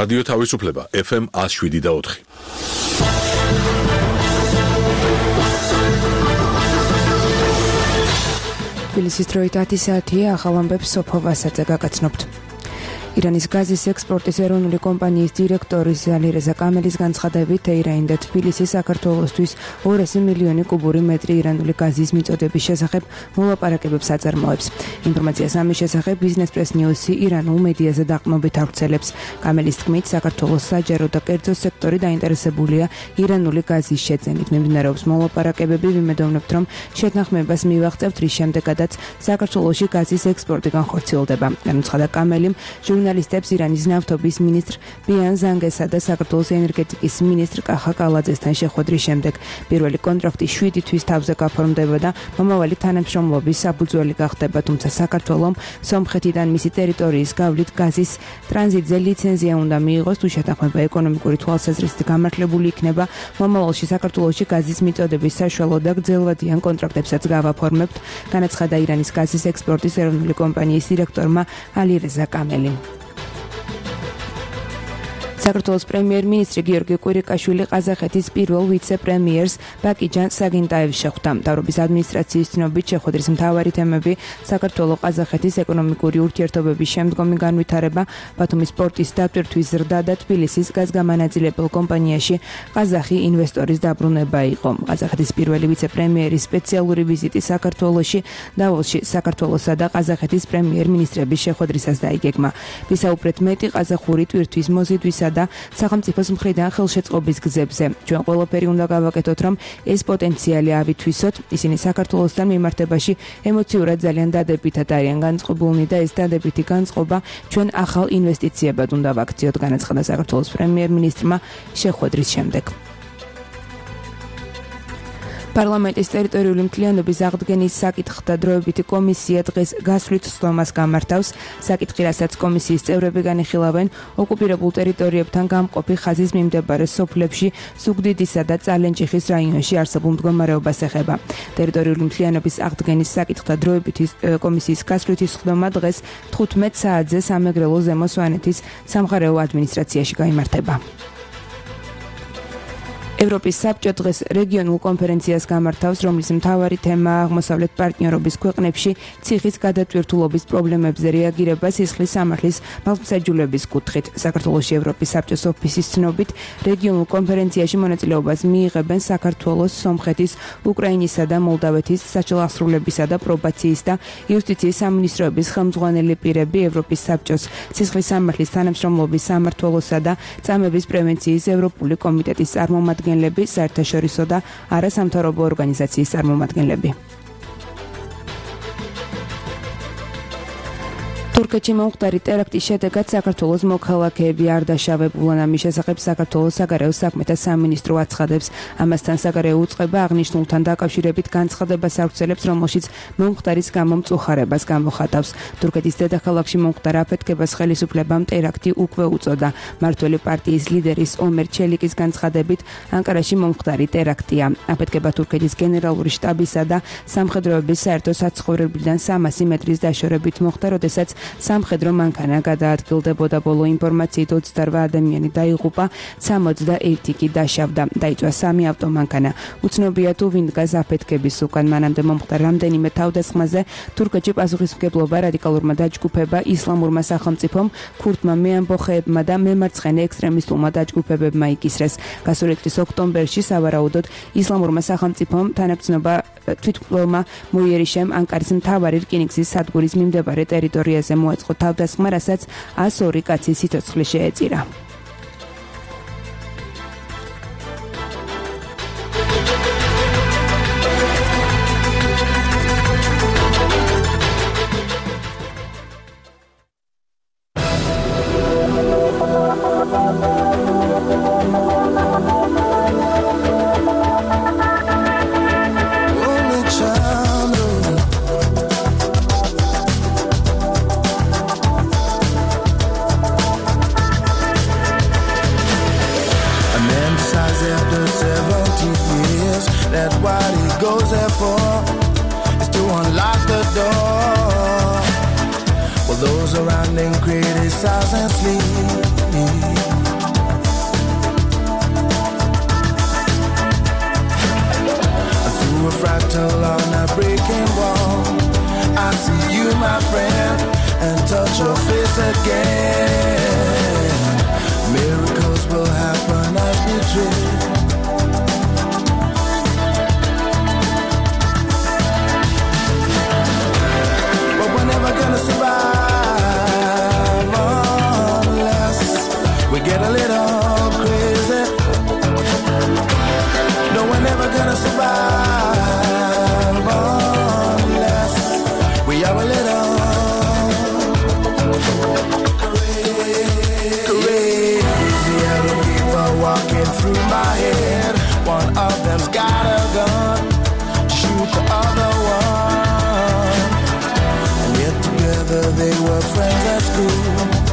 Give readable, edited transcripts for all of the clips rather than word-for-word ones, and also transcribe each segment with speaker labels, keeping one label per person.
Speaker 1: რადიო თავისუფლება FM 107.4.
Speaker 2: თბილისის დროით 10 საათია, ახალ ამბებს სოფო ვასაძე გაგაცნობთ. ირანის გაზის ექსპორტის ეროვნული კომპანიის დირექტორის ალირეზა კამელის განცხადებით, თეირანი და თბილისი საქართველოსთვის 200 მილიონი კუბური მეტრი ირანული გაზის მიწოდების შესახებ მოლაპარაკებებს აწარმოებს. ინფორმაციას ამის შესახებ Business Press News-ი ირანულ მედიაზე დაყრდნობით ავრცელებს. კამელის თქმით, საქართველოს საჯარო და კერძო სექტორი დაინტერესებულია ირანული გაზის შეძენით. მიმდინარეობს მოლაპარაკებები, ვიმედოვნებთ, რომ შეთანხმებას მივაღწევთ, რის შემდეგაც საქართველოში გაზის ექსპორტი განხორციელდება. განუცხადა კამელიმ ჟურნალისტებს ირანის ნავთობის მინისტრ ბიან ზანგესა და საქართველოს ენერგეტიკის მინისტრ კახა კალაძესთან შეხვედრის შემდეგ. პირველი კონტრაქტი 7 თვის თავზე გაფორმდება და მომავალი თანამშრომლობის საფუძველი გახდება, თუმცა საქართველომ სომხეთიდან მისი ტერიტორიის გავლით გაზის ტრანზიტზე ლიცენზია უნდა მიიღოს, თუ შეთანხმება ეკონომიკური თვალსაზრისით გამართლებული იქნება, მომავალში საქართველოში გაზის მიწოდების საშუალო და გრძელვადიან კონტრაქტებსაც გავაფორმებთ, განაცხადა ირანის გაზის ექსპორტის ეროვნული კომპანიის დირექტორმა ალირეზა კამელიმ. საქართველოს პრემიერ-მინისტრი გიორგი კვირიკაშვილი ყაზახეთის პირველ ვიცე-პრემიერს ბაკიჯან საგინტაევს შეხვდა. მთავრობის ადმინისტრაციის ცნობით, შეხვედრის მთავარი თემები საქართველო-ყაზახეთის ეკონომიკური ურთიერთობების შემდგომი განვითარება, ბათუმის პორტის დატვირთვის ზრდა და თბილისის გაზგამანაწილებელ კომპანიაში ყაზახი ინვესტორის დაბრუნება იყო. ყაზახეთის პირველი ვიცე-პრემიერის სპეციალური ვიზიტი საქართველოში, დავოსში საქართველოსა და ყაზახეთის პრემიერ-მინისტრების შეხვედრისას დაიგეგმა. ვისაუბრეთ მეტი ყაზახური ტვირთვის მოზიდვისა და სახელმწიფოს მხრიდან ხელშეწყობის გზებზე. ჩვენ ყველაფერი უნდა გავაკეთოთ, რომ ეს პოტენციალი ავითვისოთ. ისინი საქართველოსთან მიმართებაში ემოციურად ძალიან დადებითად არიან განწყობილნი და ეს დადებითი განწყობა ჩვენ ახალ ინვესტიციებად უნდა ვაქციოთ, განაცხადა საქართველოს პრემიერ-მინისტრმა შეხვედრის შემდეგ. პარლამენტის ტერიტორიული მთლიანობის აღდგენის საკითხთა დროებითი კომისია დღეს გასვლით სხდომას გამართავს. საკითხი, რასაც კომისიის წევრები განიხილავენ, ოკუპირებულ ტერიტორიებთან გამყოფი ხაზის მიმდებარე სოფლებში ზუგდიდისა და წალენჭიხის რაიონში არსებულ მდგომარეობას ეხება. ტერიტორიული მთლიანობის აღდგენის საკითხთა დროებითი კომისიის გასვლითი სხდომა დღეს 15 საათზე სამეგრელო ზემო სვანეთის სამხარეო ადმინისტრაციაში გაიმართება. ევროპის საბჭო დღეს რეგიონულ კონფერენციას გამართავს, რომლის მთავარი თემაა აღმოსავლეთ პარტნიორობის ქვეყნებში ციხის გადატვირთულობის პრობლემებზე რეაგირება სისხლის სამართლის მართლმსაჯულების კუთხით. საქართველოში ევროპის საბჭოს ოფისის ცნობით, რეგიონულ კონფერენციაში მონაწილეობას მიიღებენ საქართველოს, სომხეთის, უკრაინისა და მოლდავეთის საჯელახსრულებისა და პრობაციის და იუსტიციის სამინისტროების ხელმძღვანელი პირები, ევროპის საბჭოს სისხლის სამართლის თანამშრომლობის სამმართველოსა და წამების პრევენციის ევროპული კომიტეტის წარმომადგენლები, საერთაშორისო და არასამთავრობო ორგანიზაციის წარმომადგენლები. თურქეთში მომხდარი ტერაქტის შედეგად საქართველოს მოქალაქეები არ დაშავებულან. ამის შესახებ საქართველოს საგარეო საქმეთა სამინისტრო აცხადებს. ამასთან საგარეო უწყება აღნიშნულთან დაკავშირებით განცხადებას ავრცელებს, რომელშიც მომხდარის გამო მწუხარებას გამოხატავს. თურქეთის დედაქალაქში მომხდარ აფეთქებას ხელისუფლებამ ტერაქტი უკვე უწოდა. მმართველი პარტიის ლიდერის ომერ ჩელიკის განცხადებით, ანკარაში მომხდარი ტერაქტია. აფეთქება თურქეთის გენერალური შტაბისა და სამხედროების საერთო საცხოვრებლიდან 300 მეტრის დაშორებით მოხდა, როდესაც სამხედრო მანქანა გადაადგილდებოდა. ბოლო ინფორმაციით 28 ადამიანი დაიღუპა, 61 კი დაშავდა. დაიწვა 3 ავტომანქანა. უცნობია თუ ვინ დგას აფეთქების უკან. მანამდე მომხდარ რამდენიმე თავდასხმაზე თურქეთში პასუხისმგებლობა რადიკალურმა დაჯგუფება, ისლამურმა სახელმწიფომ, ქურთმა მეამბოხეებმა და მემარცხენე ექსტრემისტულმა დაჯგუფებებმა იკისრეს. გასული წლის ოქტომბერში სავარაუდოდ ისლამურმა სახელმწიფომ თანაბრძნობა თვითმკვლელმა მოიერიშემ ანკარის მთავარი რკინიგზის სადგურის მიმდებარე ტერიტორიაზე მოეწყო თავდასხმა, რასაც 102 კაცის სიცოცხლე შეეწირა.
Speaker 3: That's what he goes there for, is to unlock the door. While those around him criticize and sleep, were friends at school.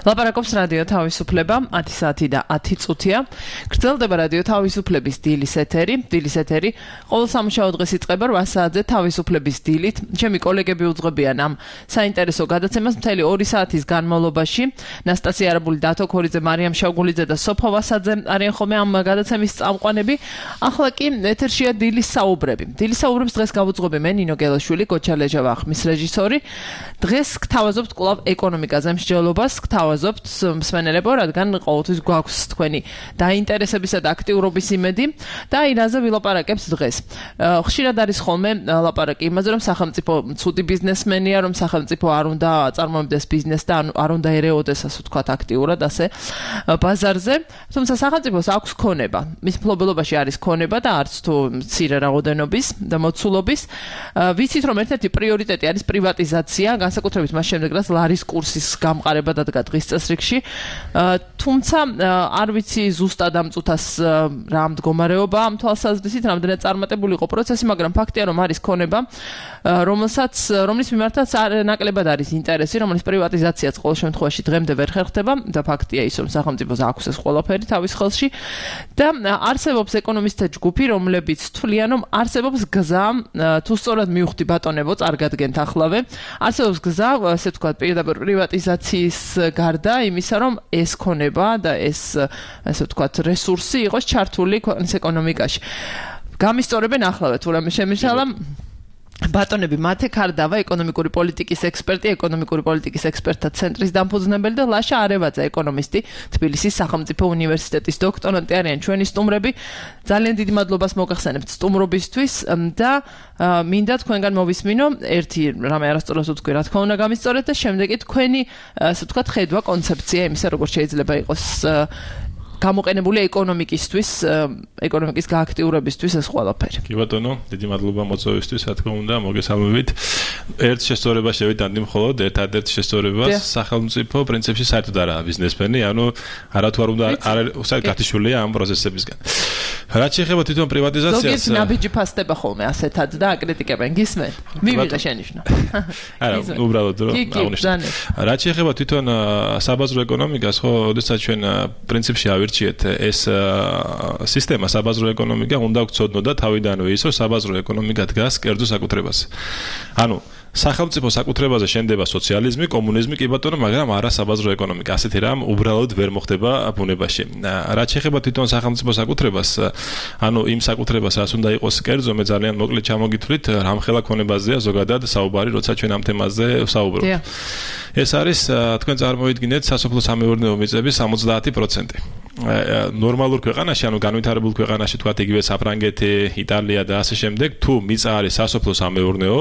Speaker 4: ლაპარაკობს რადიო თავისუფლება 10 საათი და 10 წუთია. გრძელდება რადიო თავისუფლების დილის ეთერი. დილის ეთერი ყოველ სამუშაო დღეს იწყება 8 საათზე თავისუფლების დილით. ჩემი კოლეგები უძღვებიან ამ საინტერესო გადაცემას მთელი 2 საათის განმავლობაში. ნასტასია არაბული, დათო ქორიძე, მარიამ შავგულიძე და სოფო ვასაძე არიან ხოლმე ამ გადაცემის წამყვანები. ახლა კი ეთერშია დილის საუბრები. დილის საუბრებს დღეს გავუძღვები მე ნინო გელაშვილი, გოჩა ლეჟავა ხმის რეჟისორი. დღეს გთავაზობთ კვლავ ეკონომიკაზე მსჯელობას, გთავაზობთ მსმენელებო, რადგან ყოველთვის გვაქვს თქვენი დაინტერესებისა და აქტიურობის იმედი და აირაზე ვილაპარაკებთ დღეს. ხშირად არის ხოლმე ლაპარაკი იმაზე, რომ სახელმწიფო ცუდი ბიზნესმენია, რომ სახელმწიფო არ უნდა აწარმოებდეს ბიზნესს და არ უნდა ერეოდეს, ასე ვთქვათ, აქტიურად ასე ბაზარზე. თუმცა სახელმწიფოს აქვს ქონება. მის მფლობელობაში არის ქონება და არც თუ მცირე რაოდენობის და მოცულობის. ვიცით, რომ ერთ-ერთი პრიორიტეტი არის პრივატიზაცია, განსაკუთრებით მას შემდეგ, რაც ლარის კურსის გამყარება დადგა დღის დღის წესრიგში. თუმცა არ ვიცი ზუსტად ამ წუთას რა მდგომარეობა ამ თვალსაზრისით, რამდენად წარმატებული იყო პროცესი, მაგრამ ფაქტია, რომ არის ქონება, რომლის მიმართაც ნაკლებად არის ინტერესი, რომლის პრივატიზაციაც ყოველ შემთხვევაში დღემდე ვერ ხერხდება და ფაქტია ის, რომ სახელმწიფოს აქვს ეს ყველაფერი თავის ხელში და არსებობს ეკონომისტთა ჯგუფი, რომლებიც თვლიან, რომ არსებობს გზა, თუ სწორად მივხვდი ბატონებო, წარგადგენთ ახლავე, არსებობს გზა, ასე ვთქვათ, პირდაპირ პრივატიზაციის გარდა იმისა, რომ ეს ქონება და ეს, ასე ვთქვათ, რესურსი იყოს ჩართული ქვეყნის ეკონომიკაში. გამისწორებენ ახლავე, თუ რამე შემიშალა ბატონები მათე ქარდავა ეკონომიკური პოლიტიკის ექსპერტი, ეკონომიკური პოლიტიკის ექსპერტთა ცენტრის დამფუძნებელი და ლაშა არევაძე ეკონომისტი, თბილისის სახელმწიფო უნივერსიტეტის დოქტორანტი არიან ჩვენი სტუმრები. ძალიან დიდი მადლობას მოგახსენებთ სტუმრობისთვის და მინდა თქვენგან მოვისმინო ერთი რამე არასწორად ვთქვი, რა თქმა უნდა გამისწორეთ და შემდეგი თქვენი, ასე ვთქვათ, ხედვა, კონცეფცია იმისა, როგორ შეიძლება იყოს გამოყენებული ეკონომიკისთვის, ეკონომიკის გააქტიურებისთვის ეს ყველაფერი.
Speaker 5: კი ბატონო, დიდი მადლობა მოწვევისთვის, რა თქმა უნდა, მოგესალმებით. ერთ შესწორებას შევიტანდი მხოლოდ, ერთ-ერთ შესწორებას სახელმწიფო პრინციპში საერთოდ არაა ბიზნესმენი, ანუ არათუ არ უნდა არ გათიშულია ამ პროცესებისგან. რაც შეეხება თვითონ პრივატიზაციას,
Speaker 4: ზოგიერთი ნაბიჯი ფასდება ხოლმე ასეთად და აკრიტიკებენ, გისმენთ? მივიღე შენიშნო.
Speaker 5: არა, უბრალოდ რომ აღნიშნე. რაც შეეხება თვითონ საბაზრო ეკონომიკას, ხო, ოდესაც ჩვენ პრინციპში ავირჩიეთ ეს სისტემა საბაზრო ეკონომიკა უნდა გვცოდნო და თავიდანვე ის, რომ საბაზრო ეკონომიკა დგას კერძო საკუთრებაზე. ანუ სახელმწიფო საკუთრებაზე შენდება სოციალიზმი, კომუნიზმი, კი ბატონო, მაგრამ არა საბაზრო ეკონომიკა. ასეთი რამ უბრალოდ ვერ მოხდება ბუნებაში. რაც შეეხება თვითონ სახელმწიფო საკუთრებას, ანუ იმ საკუთრებას, რაც უნდა იყოს კერძო, მე ძალიან მოკლედ ჩამოგითვლით, რამხელა ქონებაზეა ზოგადად საუბარი, როცა ჩვენ ამ თემაზე ვსაუბრობთ. ეს არის, თქვენ წარმოიდგინეთ, სასოფლო-სამეურნეო მიწების 70%. ნორმალურ ქვეყანაში, ანუ განვითარებულ ქვეყანაში, თქვათ იგივე საფრანგეთი, იტალია და ასე შემდეგ, თუ მიწა არის სასოფლო-სამეურნეო,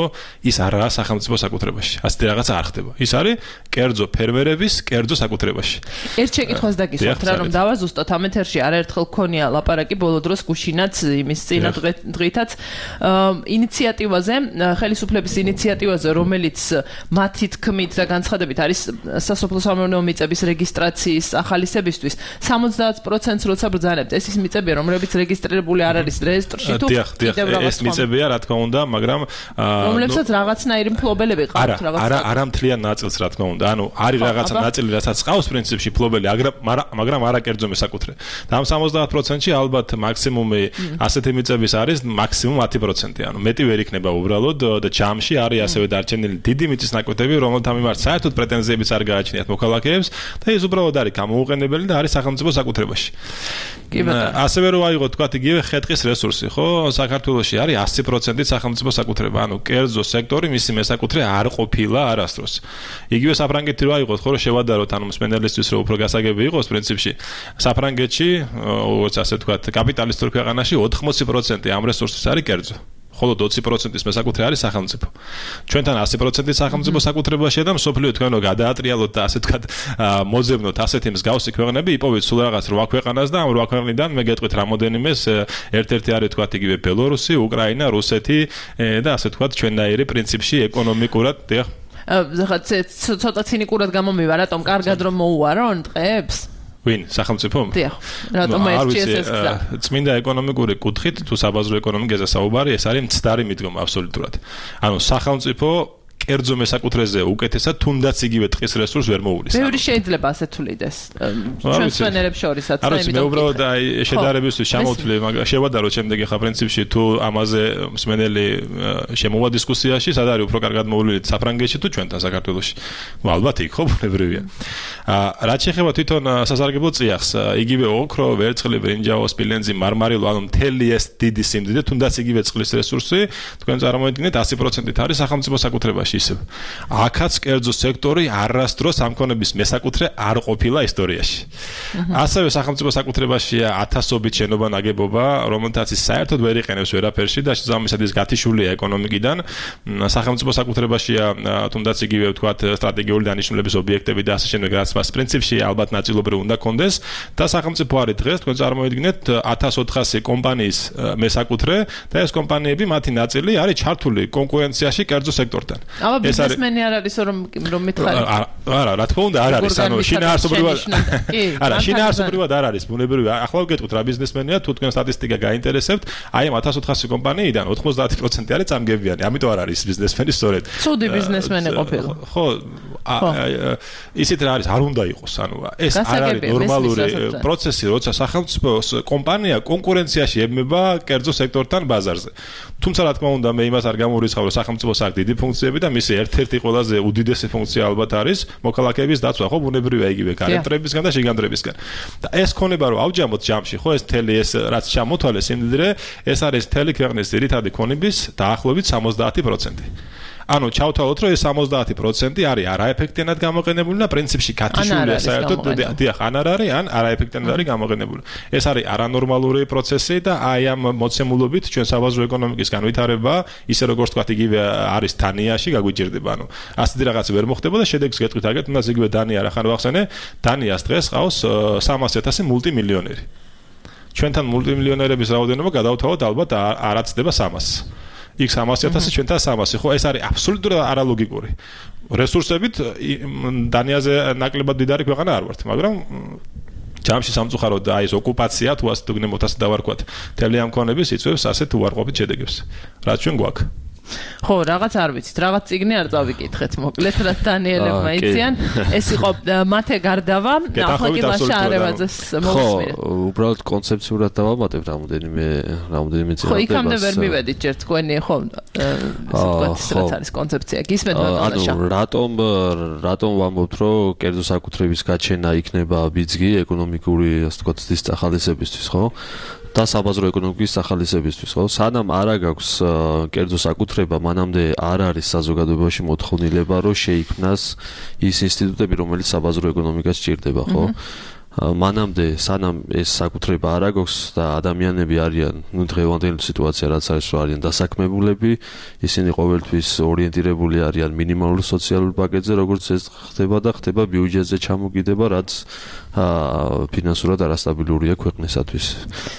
Speaker 5: ის არაა სახელმწიფო საკუთრებაში. ასეთი რაღაცა არ ხდება. ის არის კერძო ფერმერების კერძო საკუთრებაში.
Speaker 4: ერთ შეკითხვას დაგისვათ რა, რომ დავაზუსტოთ ამ ეთერში არაერთხელ გქონია ლაპარაკი ბოლო დროს გუშინაც იმის წინა დღითაც ინიციატივაზე, ხელისუფლების ინიციატივაზე, რომელიც მათი თქმით და განცხადებით არის სასოფლო-სამეურნეო მიწების რეგისტრაციის ახალისებისთვის 70%-ს როცა ბრძანებთ, ეს ის მიწებია, რომლებიც რეგისტრირებული არ არის რეესტრში თუ
Speaker 5: ეს მიწებია, რა თქმა უნდა, მაგრამ
Speaker 4: რომლებსაც რაღაცნაირი მფლობელები ყავთ რაღაცა.
Speaker 5: არა მთლიან ნაწილს, რა თქმა უნდა. ანუ არის რაღაცა ნაწილი, რასაც ყავს პრინციპში მფლობელი, მაგრამ არა კერძო მესაკუთრე. და ამ 70%-ში ალბათ მაქსიმუმი ასეთი მიწების არის მაქსიმუმ 10%. ანუ მეტი ვერ იქნება უბრალოდ და ჯამში არის ასევე დარჩენილი დიდი მიწის ნაკვეთები, რომელთა მიმართ საერთოდ პრეტენზიებიც არ გააჩნიათ მოქალაქეებს და ეს უბრალოდ არის გამოუყენებელი და არის სახელმწიფო საკუთრებაში. ასევე რო აიღოთ, თქვათ, იგივე ხე-ტყის რესურსი, ხო? საქართველოში არის 100% სახელმწიფო საკუთრება. ანუ კერძო სექტორი მისი მესაკუთრე არ ყოფილა არასდროს. იგივე საფრანგეთი რო აიღოთ, ხო, შევადაროთ, ანუ მსმენელისთვის რო უფრო გასაგები იყოს პრინციპში. საფრანგეთში, ასე ვთქვათ, კაპიტალისტურ ქვეყანაში 80% ამ რესურსის არის კერძო. ხოლო 20%-ის მესაკუთრე არის სახელმწიფო. ჩვენთან 100% სახელმწიფო საკუთრებაშია და მსოფლიო თქვენო გადაატრიალოთ და ასე ვთქვათ, მოძებნოთ ასეთი მსგავსი ქვეყნები, იპოვეთ სულ რაღაც 8 ქვეყანას და ამ 8 ქვეყნიდან მე გეტყვით რამოდენიმეს, ერთ-ერთი არის თქვათ იგივე ბელორუსი, უკრაინა, რუსეთი და ასე ვთქვათ, ჩვენნაირი პრინციპში ეკონომიკურად, დიახ.
Speaker 4: ცოტა ცინიკურად გამომივა, რატომ კარგად რომ მოუვარონ ტყეებს?
Speaker 5: ვინ სახელმწიფო?
Speaker 4: დიახ. რატომ ეს
Speaker 5: წმინდა ეკონომიკური კუთხით თუ საბაზრო ეკონომიკაზე საუბარი, ეს არის მცდარი მიდგომა აბსოლუტურად. ანუ სახელმწიფო კერძო მესაკუთრეზე უკეთესად თუნდაც იგივე ტყის რესურს ვერ მოუვლის.
Speaker 4: ბევრი შეიძლება ასე თulides. ჩვენ სვენერებს შორისაც და
Speaker 5: იმით. მე უბრალოდ შედარებისთვის ჩამოვთვლი, მაგრამ შევადაროთ შემდეგი ხა პრინციპში თუ ამაზე მსმენელი შემოვა დისკუსიაში, სად არის უფრო კარგად მოვლილი საფრანგეთში თუ ჩვენთან საქართველოში. ალბათ იქ ხო ბუნებრივია. რაც შეეხება თვითონ სასარგებლო წიაღს, იგივე ოქრო, ვერცხლი, ბრინჯაო, სპილენძი, მარმარილო, ანუ მთელი ეს დიდი სიმდიდრე, თუნდაც იგივე წყლის რესურსი, თქვენ წარმოიდგინეთ 100%-ით არის სახელმწიფო საკუთრებაში. აქაც კერძო სექტორი არასდროს ამ ქონების მესაკუთრე არ ყოფილა ისტორიაში. ასევე სახელმწიფო საკუთრებაშია ათასობით შენობა ნაგებობა, რომელთაც ის საერთოდ ვერ იყენებს ვერაფერში და შესაბამისად ის გათიშულია ეკონომიკიდან. სახელმწიფო საკუთრებაშია თუნდაც იგივე ვთქვათ სტრატეგიული დანიშნულების ობიექტები და ასე შემდეგ, რაც ხმას პრინციპში ალბათ ნაწილობრივ უნდა კონდეს და სახელმწიფო არის დღეს თქვენ წარმოიდგინეთ 1400 კომპანიის მესაკუთრე და ეს კომპანიები მათი ნაწილი არის ჩართული კონკურენციაში კერძო სექტორთან.
Speaker 4: აბა ბიზნესმენი არ არის რომ მითხარი.
Speaker 5: არა, რა თქმა უნდა არ არის, ანუ შინაარსობრივად არა, შინაარსობრივად არ არის, ბუნებრივია. ახლა ვგეტყვით რა ბიზნესმენია, თუ თქვენ სტატისტიკა გაინტერესებთ, აი ამ 1400 კომპანიიდან 90% არის წამგებიანი, ამიტომ არ არის ბიზნესმენი სწორედ.
Speaker 4: ცუდი ბიზნესმენი ყოფილა.
Speaker 5: ხო, ისეთ რა არის, არ უნდა იყოს, ანუ ეს არ არის ნორმალური პროცესი, როცა სახელმწიფოს კომპანია კონკურენციაში ებმება კერძო სექტორთან ბაზარზე. თუმცა რა თქმა უნდა, მე იმას არ გამორიცხავ, რომ სახელმწიფოს აქვს დიდი ფუნქციები და მისი ერთ-ერთი ყველაზე უდიდესი ფუნქცია ალბათ არის მოქალაქეების დაცვა, ხო, ბუნებრივია იგივე გარემოებისგან და შიგანძრებისგან. და ეს ქონება რომ ავჯამოთ ჯამში, ხო, ეს თელი ეს რაც ჩამოთვალეს იმდიდრე, ეს არის თელი ქვეყნის ძირითადი ქონების დაახლოებით 70%. ანუ ჩავთვალოთ, რომ ეს 70% არის არაეფექტიანად გამოყენებული და პრინციპში გათიშულია საერთოდ დიახ, ან არ არის, ან არაეფექტიანად არის გამოყენებული. ეს არის არანორმალური პროცესი და აი ამ მოცემულობით ჩვენ საბაზრო ეკონომიკის განვითარება, ისე როგორც თქვა, იგივე არის დანიაში გაგვიჭირდება. ანუ ასეთი რაღაც ვერ მოხდება და შედეგს გეტყვით აგეთ, უნდა იგივე დანია რა ხან ვახსენე, დანიას დღეს ყავს 300,000 მულტიმილიონერი. ჩვენთან მულტიმილიონერების რაოდენობა გადავთავოთ ალბათ არაცდება 300. იქ 300,000 ჩვენთან 300, ხო, ეს არის აბსოლუტურად არალოგიკური. რესურსებით დანიაზე ნაკლებად დიდარი ქვეყანა არ ვართ, მაგრამ ჯამში სამწუხაროდ აი ეს ოკუპაცია თუ ასე თუ გნებოთ ასე დავარქვათ, თელი ამ ქონების იწვევს ასეთ უარყოფით შედეგებს. რაც ჩვენ გვაქვს.
Speaker 4: ხო, რაღაც არ ვიცით, რაღაც წიგნი არ წავიკითხეთ, მოკლედ რაც დანიელებმა იციან, ეს იყო მათე გარდავა, ახლა კი ლაშა არევაძეს მოვისმინეთ.
Speaker 6: ხო, უბრალოდ კონცეფციურად დავამატებ რამოდენიმე წელი.
Speaker 4: ხო, იქამდე ვერ მივედით ჯერ თქვენი, ხო, ეს რაც არის კონცეფცია, გისმენთ ბატონაშა.
Speaker 6: ანუ რატომ ვამბობთ, რომ კერძო საკუთრების გაჩენა იქნება ბიძგი ეკონომიკური, ასე ვთქვათ, ცდის ახალისებისთვის, ხო? და საბაზრო ეკონომიკის ახალისებისთვის, ხო? სანამ არ აქვს კერძო საკუთრება, მანამდე არ არის საზოგადოებაში მოთხოვნილება, რომ შეიქმნას ის ინსტიტუტები, რომელიც საბაზრო ეკონომიკას სჭირდება, ხო? მანამდე სანამ ეს საკუთრება არ აქვს და ადამიანები არიან, ნუ დღევანდელი სიტუაცია რაც არის, რომ არიან დასაქმებულები, ისინი ყოველთვის ორიენტირებული არიან მინიმალურ სოციალურ პაკეტზე, როგორც ეს ხდება ბიუჯეტზე ჩამოგიდება, რაც ფინანსურად არასტაბილურია ქვეყნისათვის.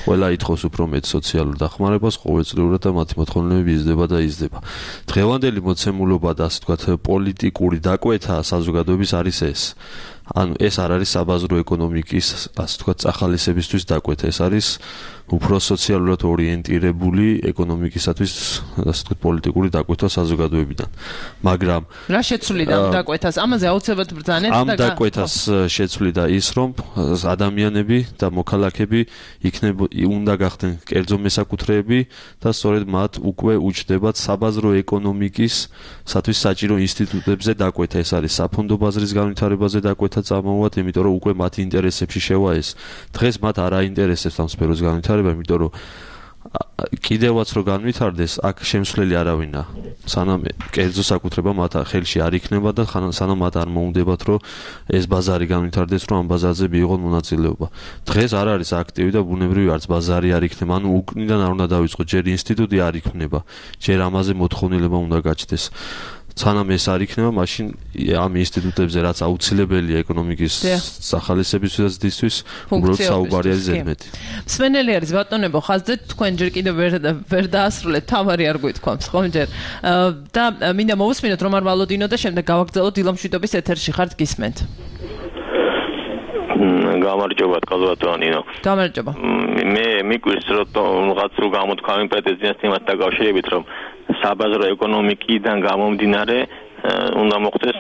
Speaker 6: ყველა ითხოვს უფრო მეტ სოციალურ დახმარებას, ყოველწლიურად და მათი მოთხოვნილება იზრდება და იზრდება. დღევანდელი მოცემულობა და ასე ვთქვათ, პოლიტიკური დაკვეთა საზოგადოების არის ეს. ანუ ეს არ არის საბაზრო ეკონომიკის, ასე ვთქვათ, ახალისებისთვის დაკვეთა, ეს არის უფრო სოციალურად ორიენტირებული ეკონომიკისათვის, ასე ვთქვათ, პოლიტიკური დაკვეთა საზოგადოებიდან. მაგრამ
Speaker 4: რა შეცვლიდა ამ დაკვეთას? ამაზე აუცილებლად ბრძანეთ და
Speaker 6: ამ დაკვეთას შეცვლიდა ის, რომ ადამიანები და მოქალაქეები უნდა გახდნენ კერძო მესაკუთრეები და სწორედ მათ უკვე უჩნდებათ საბაზრო ეკონომიკისათვის საჭირო ინსტიტუტებზე დაკვეთა. ეს არის საფონდო ბაზრის განვითარებაზე დაკვეთა წამოვათ, იმიტომ რომ უკვე მათი ინტერესებში შევა ეს. დღეს მათ არ აინტერესებს ამ სფეროს განვითარება, იმიტომ რომ კიდევაც რო განვითარდეს, აქ შემსვლელი არავინა. სანამ კერძო საკუთრება მათ ხელში არ იქნება და სანამ მათ არ მოუნდებათ, რომ ეს ბაზარი განვითარდეს, რომ ამ ბაზარზე მიიღონ მონაწილეობა. დღეს არ არის აქტივი და ბუნებრივი არც ბაზარი არ იქნება, ანუ უკნიდან არ უნდა დავიწყოთ, ჯერ ინსტიტუტი არ იქნება, ჯერ ამაზე მოთხოვნილება უნდა გაჩნდეს. სანამ ეს არ იქნება, მაშინ ამ ინსტიტუტებზე რაც აუცილებელია ეკონომიკის სახალისებისთვის და ზრდისთვის, უბრალოდ საუბარი არის ზედმეტი.
Speaker 4: მსმენელი არის ბატონებო, ხაზდეთ, თქვენ ჯერ კიდევ ვერ დაასრულეთ, თავარი არ გვითქვამს, ხომ ჯერ. და მინდა მოვუსმინოთ რომ არ ვალოდინო და შემდეგ გავაგრძელოთ დილამშვიდობის ეთერში ხართ გისმენთ.
Speaker 7: გამარჯობა კაზვატონინო.
Speaker 4: გამარჯობა.
Speaker 7: მე მიკვირს რომ რაღაც რო გამოთქვამი პრეტენზიას თემასთან დაკავშირებით, რომ საბაზრო ეკონომიკიდან გამომდინარე უნდა მოხდეს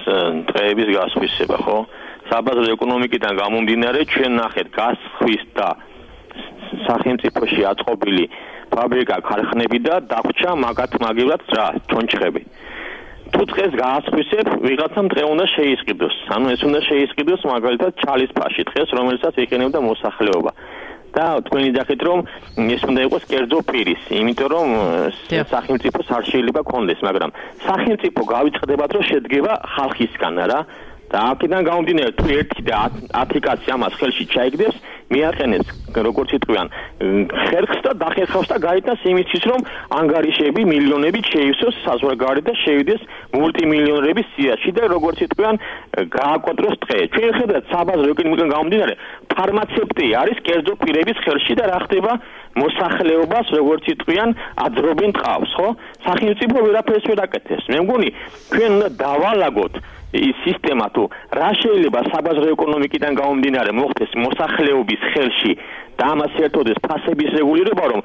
Speaker 7: დღეების გასხვისება, ხო? საბაზრო ეკონომიკიდან გამომდინარე ჩვენ ნახეთ გასხვის და სახელმწიფოში აწყობილი ფაბრიკა, ქარხნები და დაგვჭა მაგივრად რა, ჩონჩხები. თუ დღეს გაასხვისებ, ვიღაცამ დღე უნდა შეისყიდოს. ანუ ეს უნდა შეისყიდოს მაგალითად ჩალის ფაში დღეს, რომელსაც იყენებდა მოსახლეობა. და თქვენი ძახით რომ ეს უნდა იყოს კერძო პირის, იმიტომ რომ სახელმწიფოს არ შეიძლება კონდეს, მაგრამ სახელმწიფო გავიწყდებათ რომ შედგება ხალხისგან, რა. და აქედან გამომდინარე თუ 1 და 10 კაცი ამას ხელში ჩაიგდებს მიაყენებს როგორც იტყვიან ხერხს და დახერხავს და გაიტანს იმისთვის რომ ანგარიშები მილიონებით შეივსოს საზღვარგარეთ და შევიდეს მულტიმილიონერების სიაში და როგორც იტყვიან გააკონტროლოს ტყე. ჩვენ ხედავთ საბაზრო ეკონომიკიდან გამომდინარე ფარმაცევტი არის კერძო პირების ხელში და რა ხდება მოსახლეობას როგორც იტყვიან აძრობენ ტყავს, ხო? სახელმწიფო ვერაფერს ვერ აკეთებს. მე მგონი ჩვენ უნდა დავალაგოთ ის სისტემა თუ რა შეიძლება საბაზრო ეკონომიკიდან გამომდინარე მოხდეს მოსახლეობის ხელში და ამას ერთოდეს ფასების რეგულირება რომ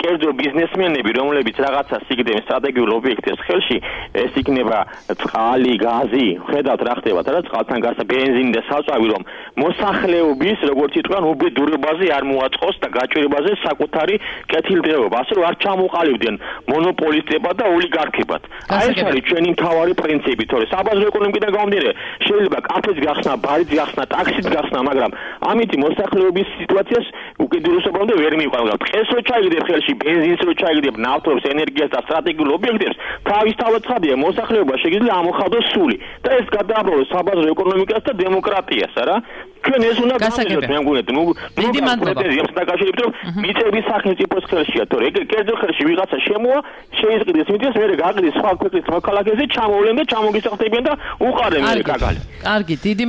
Speaker 7: კერძო ბიზნესმენები რომლებიც რაღაცა სიგდენ სტრატეგიულ ობიექტებს ხელში ეს იქნება წყალი, გაზი, ხედავთ რა ხდება და წყალთან გასა ბენზინი და საწვავი რომ მოსახლეობის როგორც იტყვიან უბედურებაზე არ მოაწყოს და გაჭირებაზე საკუთარი კეთილდღეობა ასე რომ არ ჩამოყალიბდნენ მონოპოლისტებად და ოლიგარქებად. აი ეს არის ჩვენი მთავარი პრინციპი, თორე საბაზრო ეკონომიკიდან გამომდინარე შეიძლება კაფეც გახსნა, ბარიც გახსნა, ტაქსიც გახსნა, მაგრამ ამით მოსახლეობის სიტუაციას უკიდურესობამდე ვერ მივყავდა. დღეს რო ჩაიგდებ ხელში ბენზინს რო ჩაიგდებ ნავთობს, ენერგიას და სტრატეგიულ ობიექტებს, თავისთავად ცხადია მოსახლეობა შეიძლება ამოხადოს სული და ეს გადააბრალოს საბაზრო ეკონომიკას და დემოკრატიას, არა? ჩვენ ეს უნდა გამოვიდეთ, მე მგონია.
Speaker 4: დიდი მადლობა.
Speaker 7: დაკავშირებით რომ მიწების სახელმწიფოს ხელშია, თორე ეგ კერძო ხელში ვიღაცა შემოა, შეიზღიდეს მიწას, მე გაყრის სხვა ქვეყნის მოქალაქეზე, ჩამოვლენ და ჩამოგისახდებიან და უყარენ მე კაკალი.
Speaker 4: კარგი, დიდი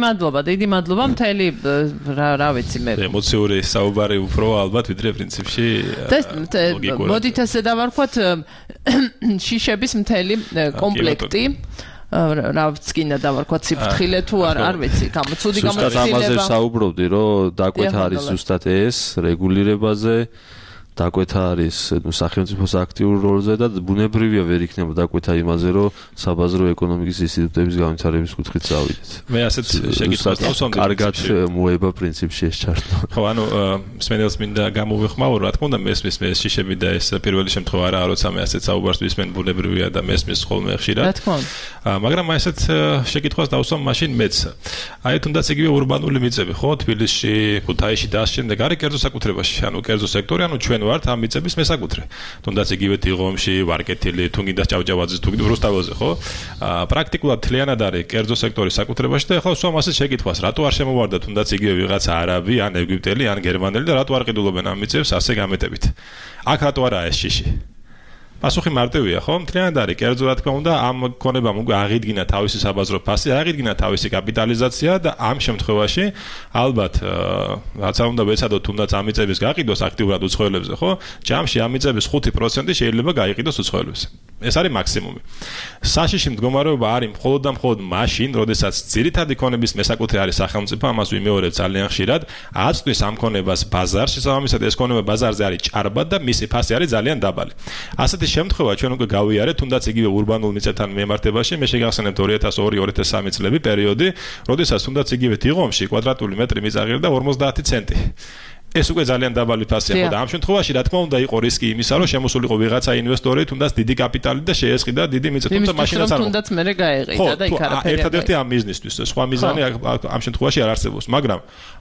Speaker 4: მადლობა, მთელი რა ვიცი მე.
Speaker 5: ემოციური საუბარი უფრო ალბათ ვიდრე პრინციპში.
Speaker 4: მოდით ესე დავარქვათ შიშების მთელი კომპლექტი. რაც გინდა დავარქვათ სიფრთხილე თუ არ ვიცი, გამოცუდი გამოცდილება.
Speaker 6: ზუსტად ამაზე საუბრობდი, რომ დაკვეთა არის ზუსტად ეს რეგულირებაზე, დაკვეთა არის სახელმწიფოს აქტიურ როლზე და ბუნებრივია ვერ იქნება დაკვეთა იმაზე, რომ საბაზრო ეკონომიკის ინსტიტუტების განვითარების კუთხით წავიდეთ.
Speaker 5: მე ასეთ შეკითხვას დავსვამდი.
Speaker 6: კარგად მოება პრინციპში ეს ჩართვა.
Speaker 5: ხო, ანუ მსმენელს მინდა გამოვიხმაურო, რა თქმა უნდა, მესმის მე შიშები და ეს პირველი შემთხვევა არაა, როცა მე ასეთ საუბარს ვისმენ, ბუნებრივია და მესმის ხოლმე ხშირად.
Speaker 4: რა თქმა უნდა.
Speaker 5: მაგრამ ასეთ შეკითხვას დავსვამ მაშინ მეც. აი თუნდაც იგივე ურბანული მიწები, ხო, თბილისში, ქუთაისში და ამ შემდეგ არის კერძო საკუთრებაში, ანუ კერძო სექტორი, ანუ ჩვენ ვართ ამ მიწების მესაკუთრე. თუნდაც იგივე ტიღომში, ვარკეთილი, თუ გინდა ჭავჭავაძის, თუ გინდა რუსთავაზე, ხო? პრაქტიკულად თლიანად არის კერძო სექტორის საკუთრებაში და ახლა ვსვამ ასეთ შეკითხვას, რატო არ შემოვარდა თუნდაც იგივე ვიღაცა არაბი, ან ეგვიპტელი, ან გერმანელი და რატო არ ყიდულობენ ამ მიწებს ასე გამეტებით. აქ რატო არაა ეს შიში? პასუხი მარტივია, ხო? მთლიანად არის კერძო, რა თქმა უნდა, ამ ქონებამ უკვე აღიდგინა თავისი საბაზრო ფასი, აღიდგინა თავისი კაპიტალიზაცია და ამ შემთხვევაში ალბათ რაც უნდა ვეცადოთ, თუნდაც ამ მიწების გაყიდვას აქტიურად უცხოელებზე, ხო? ჯამში ამ მიწების 5% შეიძლება გაიყიდოს უცხოელებზე. ეს არის მაქსიმუმი. საშიში მდგომარეობა არის მხოლოდ და მხოლოდ მაშინ, როდესაც ძირითადი ქონების მესაკუთრე არის სახელმწიფო, ამას ვიმეორებ ძალიან ხშირად, აწვდის ამ ქონებას ბაზარში, შესაბამისად ეს ქონება ბაზარზე არის ჭარბად და მისი ფასი არის ძალიან დაბალი. ასეთი შემთხვევა ჩვენ უკვე გავიარეთ, თუნდაც იგივე ურბანულ მიწებთან მიმართებაში, მე შეგახსენებთ 2002-2003 წლები პერიოდი, როდესაც თუნდაც იგივე ტიღომში კვადრატული მეტრი მიწა ღირდა 50 ცენტი. ეს უკვე ძალიან დაბალი ფასია ხო და ამ შემთხვევაში რა თქმა უნდა იყო რისკი იმისა, რომ შემოსულიყო ვიღაცა ინვესტორი, თუნდაც დიდი კაპიტალი და შეესყიდა დიდი მიწა, თუმცა მაშინაც არ
Speaker 4: თუნდაც მე გაეყიდა და იქ არაფერი.
Speaker 5: ერთადერთი ამ ბიზნესთვის, სხვა მიზანი ამ შემთხვევაში არ არსებობს, მაგრამ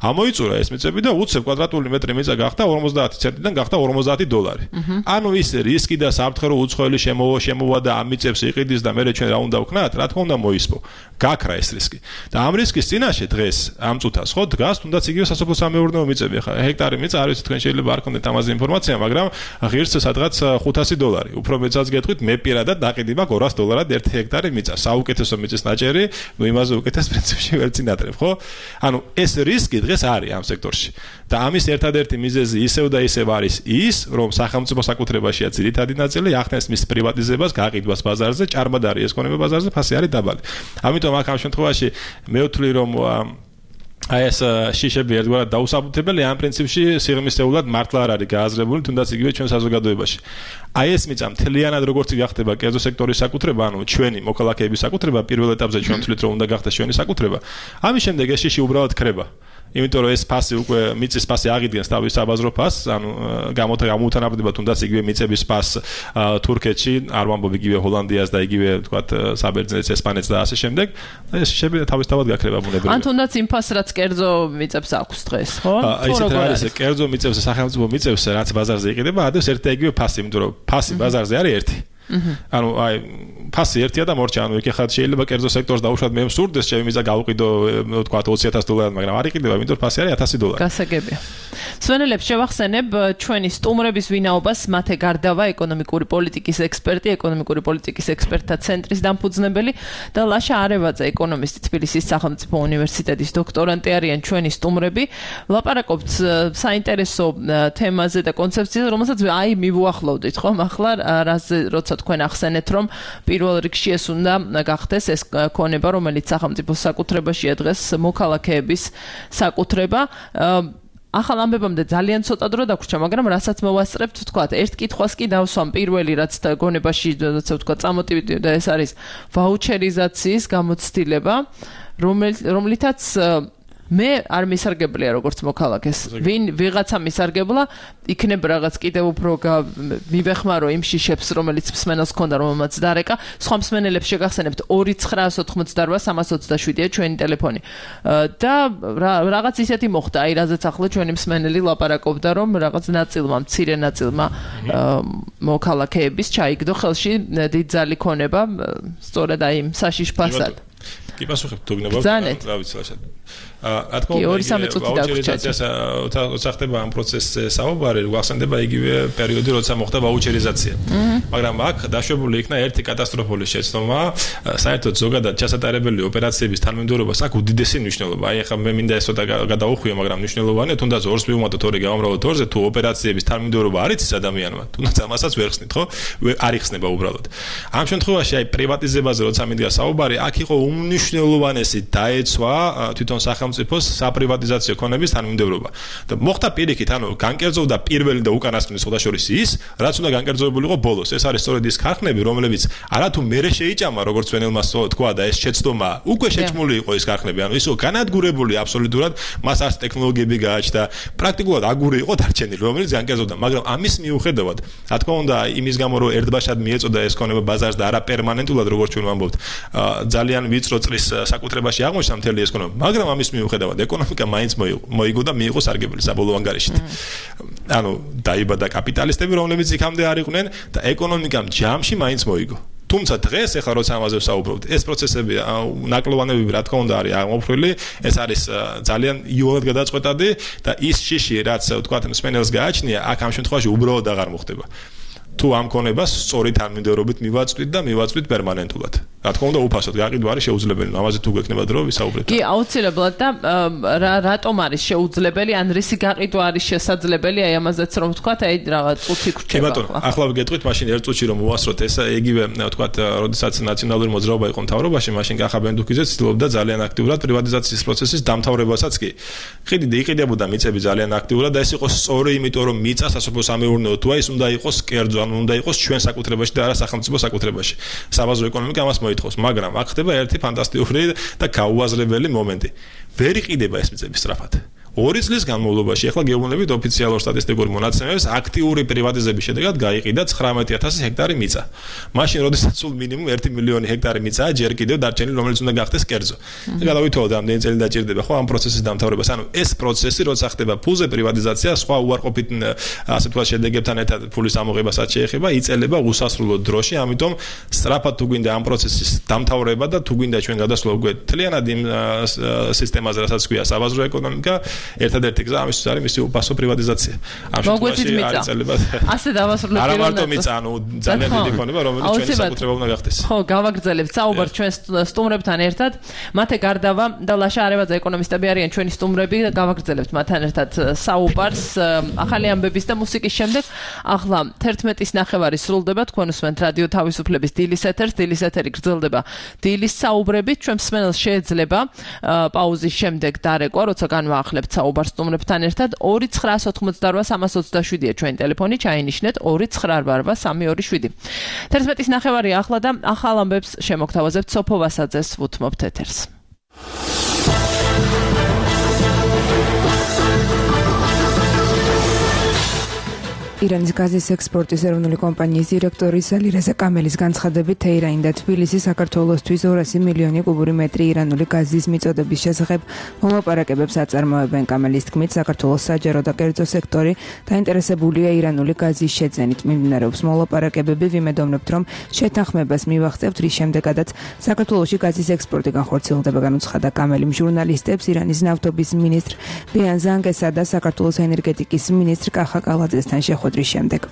Speaker 5: ამოიწურა ეს მიწები და უცებ კვადრატული მეტრი მიწა გახდა 50 ცენტიდან გახდა $50. ანუ ის რისკი და საფრთხე რომ უცხოელი შემოვა და ამ მიწებს იყიდის და მე ჩვენ რა უნდა ვქნათ, რა თქმა უნდა მოისპო. გაქრა ეს რისკი. და ამ რისკის წინაშე დღეს ამ წუთას ხო დგას თუნდაც იგივე სასოფლო-სამეურნეო მიწები ხა ჰექტარი მიწა არ ვიცი თქვენ შეიძლება არ გქონდეთ ამაზე ინფორმაცია, მაგრამ ღირს სადღაც $500. უფრო მეცაც გეტყვით, მე პირადად დაყიდი მაქვს $200 1 ჰექტარი მიწა. საუკეთესო მიწის ნაჭერი, ნუ იმაზე უკეთეს პრინციპში ვერ წინადრებ, ხო? ანუ ეს რისკი დღეს არის ამ სექტორში. და ამის ერთადერთი მიზეზი ისევ და ისევ არის ის, რომ სახელმწიფო საკუთრებაშია ძირითადი ნაწილი, ახდენს მის პრივატიზებას, გაყიდვას ბაზარზე, ჭარბად არის ეს ქონება ბაზარზე, ფასი არის დაბალი. ამიტომ აქ ამ შემთხვევაში მე ვთვლი რომ აი ეს შიშები ერთგვარად დაუსაბუთებელი ამ პრინციპში სიღრმისეულად მართლა არ არის გააზრებული, თუნდაც იგივე ჩვენ საზოგადოებაში. აი ეს მიწა მთლიანად როგორც გახდება კერძო სექტორის საკუთრება, ანუ ჩვენი მოქალაქეების საკუთრება, პირველ ეტაპზე ჩვენ ვთვლით რომ უნდა გახდეს ჩვენი საკუთრება. ამის შემდეგ ეს შიში უბრალოდ ქრება. იმიტომ რომ ეს ფასი უკვე მიწის ფასი აღიდგენს თავის საბაზრო ფასს, ანუ გამოუთანაბრდება თუნდაც იგივე მიწების ფასს თურქეთში, არ ვამბობ იგივე ჰოლანდიას და იგივე თქვათ საბერძნეთს, ესპანეთს და ასე შემდეგ. ეს შები თავისთავად გაქრება ბუნებრივია.
Speaker 4: ან თუნდაც იმ ფასს რაც კერძო მიწებს აქვს დღეს, ხო?
Speaker 5: ისეთ არის კერძო მიწებს, სახელმწიფო მიწებს, რაც ბაზარზე იყიდება, ადევს ერთ და იგივე ფასი, იმიტომ რომ ფასი ბაზარზე არის ერთი. ანუ აი ფასი ერთია და მორჩა, ანუ იქ ხარ შეიძლება კერძო სექტორს დაუშვათ მე მსურდეს ჩემი მიზა გავყიდო თქვა $20,000, მაგრამ არ იყიდება, იმიტომ რომ ფასი არის $1,000.
Speaker 4: გასაგებია. სვენელებს შევახსენებ ჩვენი სტუმრების ვინაობას მათე გარდავა ეკონომიკური პოლიტიკის ექსპერტი, ეკონომიკური პოლიტიკის ექსპერტთა ცენტრის დამფუძნებელი და ლაშა არევაძე ეკონომისტი თბილისის სახელმწიფო უნივერსიტეტის დოქტორანტი არიან ჩვენი სტუმრები. ვლაპარაკობთ საინტერესო თემაზე და კონცეფციაზე, რომელსაც აი მივუახლოვდით ხომ ახლა როცა თქვენ ახსენეთ რომ პირველ რიგში ეს უნდა გახდეს ეს ქონება, რომელიც სახელმწიფოს საკუთრებაშია დღეს მოქალაქეების საკუთრება. ახალ ამბებამდე ძალიან ცოტა დრო დაგვრჩა, მაგრამ რასაც მოვასწრებთ, ვთქვათ, ერთ კითხვას კი დავსვამ პირველი, რაც გონებაში, როცა ვთქვათ, წამოტივდა, ეს არის ვაუჩერიზაციის გამოცდილება, რომლითაც მე არ მისარგებლია როგორც მოქალაქეს. ვიღაცა მისარგებლა, იქნებ რაღაც კიდევ უფრო მივეხმარო იმ შიშებს, რომელიც მსმენელს ჰქონდა, რომელმაც დარეკა. სხვა მსმენელებს შეგახსენებთ 2-9-90-327-ია ჩვენი ტელეფონი. და რაღაც ისეთი მოხდა, აი რაზეც ახლა ჩვენი მსმენელი ლაპარაკობდა, რომ რაღაც ნაწილმა, მცირე ნაწილმა მოქალაქეების ჩაიგდო ხელში დიდძალი ქონება, სწორედ აი იმ საშიშ ფასად.
Speaker 5: კი პასუხებ თუ გნებავთ, რა ვიცი ლაშად. რა თქმა უნდა, როცა ხდება ამ პროცესზე საუბარი, გვახსენდება იგივე პერიოდი, როცა მოხდა ვაუჩერიზაცია. მაგრამ აქ დაშვებული იქნა ერთი კატასტროფული შეცდომა, საერთოდ ზოგადად ჩასატარებელი ოპერაციების თანმიმდევრობას აქვს უდიდესი მნიშვნელობა. აი ახლა მე მინდა ეს ცოტა გადაუხვიო, მაგრამ მნიშვნელოვანია, თუნდაც ორს მივუმატოთ, ორი გავამრავოთ ორზე, თუ ოპერაციების თანმიმდევრობა არ იცის ადამიანმა, თუნდაც ამასაც ვერ ხსნით, ხო? არ იხსნება უბრალოდ. ამ შემთხვევაში აი პრივატიზებაზე როცა მინდა საუბარი, აქ იყო უმნიშვნელოვანესი დაეცვა თვითონ სახელმწიფოს საპრივატიზაციო ქონების თანმიმდევრობა. და მოხდა პირიქით, ანუ განკერძოვდა პირველი და უკანასკნელი სხვადასხვის ის, რაც უნდა განკერძოებულიყო ბოლოს. ეს არის სწორედ ის ქარხნები, რომლებიც არათუ მერე შეიჭამა, როგორც ვენელმა თქვა და ეს შეცდომა უკვე შეჭმული იყო ის ქარხნები, ანუ ისო განადგურებული აბსოლუტურად, მას არც ტექნოლოგიები გააჩნდა, პრაქტიკულად აგური იყო დარჩენილი, რომელიც განკერძოვდა, მაგრამ ამის მიუხედავად, რა თქმა უნდა, იმის გამო რომ ერთბაშად მიეწოდა ეს ქონება ბაზარს და არა პერმანენტულად, როგორც ჩვენ ვამბობთ, ძალიან ვიწრო წრის საკუთრებაში აღმოჩნდა მთელი ეს ქონება, მაგრამ ამის მიუხედავად ეკონომიკა მაინც მოიგო და მიიღო სარგებელი საბოლოო ანგარიშით. ანუ დაიბადა კაპიტალისტები, რომლებიც იქამდე არ იყვნენ და ეკონომიკამ ჯამში მაინც მოიგო. თუმცა დღეს ახლა როცა ამაზე ვსაუბრობთ, ეს პროცესები ნაკლოვანები რა თქმა უნდა არის აღმოფხვრილი, ეს არის ძალიან იოლად გადაწყვეტადი და ის შიში, რაც ვთქვათ, მსმენელს გააჩნია, აქ ამ შემთხვევაში უბრალოდ აღარ მოხდება. თუ ამ ქონებას სწორი თანმიმდევრობით მივაწვით და მივაწვით პერმანენტულად. რა თქმა უნდა, უფასოდ გაყიდვა არის შეუძლებელი. ამაზე თუ გექნება დრო ვისაუბრეთ.
Speaker 4: კი, აუცილებლად და რატომ არის შეუძლებელი, ან რისი გაყიდვა არის შესაძლებელი, აი ამაზეც რომ ვთქვათ, აი რაღაც წუთი გრჩება.
Speaker 5: კი ბატონო, ახლა ვგეტყვით, მაშინ ერთ წუთში რომ მოვასწროთ ეს იგივე ვთქვათ, როდესაც ნაციონალური მოძრაობა იყო მთავრობაში, მაშინ კახაბენ დუქიძე ცდილობდა ძალიან აქტიურად პრივატიზაციის პროცესის დამთავრებასაც კი. იყიდებოდა მიწები ძალიან აქტიურად და ეს იყო სწორი, იმიტომ რომ მიწა სასოფლო-სამეურნეო თუ ის უნდა იყოს კერძო, უნდა იყოს ჩვენ საკუთრებაში და არა სახელმწიფო საკუთრებაში. საბაზრო ეკონომიკა ამას მოითხოვს, მაგრამ აქ ხდება ერთი ფანტასტიკური და გაუაზრებელი მომენტი. ვერ იყიდება ეს მიწები სწრაფად. 2 წლის განმავლობაში ახლა გეუბნებით ოფიციალურ სტატისტიკურ მონაცემებს, აქტიური პრივატიზების შედეგად გაიყიდა 19,000 ჰექტარი მიწა. მაშინ, როდესაც სულ მინიმუმ 1 მილიონი ჰექტარი მიწაა ჯერ კიდევ დარჩენილი, რომელიც უნდა გახდეს კერძო. გადავითვალოთ, ამდენი წელი დაჭირდება ხო ამ პროცესის დამთავრებას. ანუ ეს პროცესი, როცა ხდება ფულზე პრივატიზაცია, სხვა უარყოფით ასე თქვა შედეგებთან ერთად ფულის ამოღებასაც შეეხება, იწელება უსასრულო დროში, ამიტომ სწრაფად თუ გვინდა ამ პროცესის დამთავრება და თუ გვინდა ჩვენ გადასვლა უკვე თლიანად იმ სისტემაზე, რასაც ქვია საბაზრო ეკონომიკა, ერთადერთი გზა ამისთვის არის მისი უფასო პრივატიზაცია. ამ შემთხვევაში არის წელება.
Speaker 4: ასე დავასრულებთ.
Speaker 5: არა მარტო მიწა, ანუ ძალიან დიდი ქონება, რომელიც ჩვენი საკუთრება უნდა გახდეს.
Speaker 4: ხო, გავაგრძელებთ საუბარს ჩვენ სტუმრებთან ერთად. მათე გარდავა და ლაშა არევაძე ეკონომისტები არიან ჩვენი სტუმრები. გავაგრძელებთ მათთან ერთად საუბარს ახალი ამბების და მუსიკის შემდეგ. ახლა 11:09 სრულდება, თქვენ უსმენთ რადიო თავისუფლების დილის ეთერს. დილის ეთერი გრძელდება დილის საუბრებით. ჩვენ მსმენელს შეიძლება პაუზის შემდეგ დარეკვა, როცა განვაახლებთ საუბარს სტუმრებთან ერთად. 2-9-88-327-ია ჩვენი ტელეფონი, ჩაინიშნეთ 2-9-8-327. 11:09 ახლა და ახალ ამბებს შემოგთავაზებთ სოფო ვასაძეს, ვუთმობთ ეთერს.
Speaker 2: ირანის გაზის ექსპორტის ეროვნული კომპანიის დირექტორი სალირეზა კამელის განცხადებით თეირანი და თბილისი საქართველოსთვის 200 მილიონი კუბური მეტრი ირანული გაზის მიწოდების შესახებ მოლაპარაკებებს აწარმოებენ. კამელის თქმით, საქართველოს საჯარო და კერძო სექტორი დაინტერესებულია ირანული გაზის შეძენით. მიმდინარეობს მოლაპარაკებები, ვიმედოვნებთ, რომ შეთანხმებას მივაღწევთ, რის შემდეგაც საქართველოში გაზის ექსპორტი განხორციელდება, განუცხადა კამელიმ ჟურნალისტებს ირანის ნავთობის მინისტრ ბიან ზანგესა და საქართველოს ენერგეტიკის მინისტრ კახა კალაძესთან შეხვედრის შემდეგ.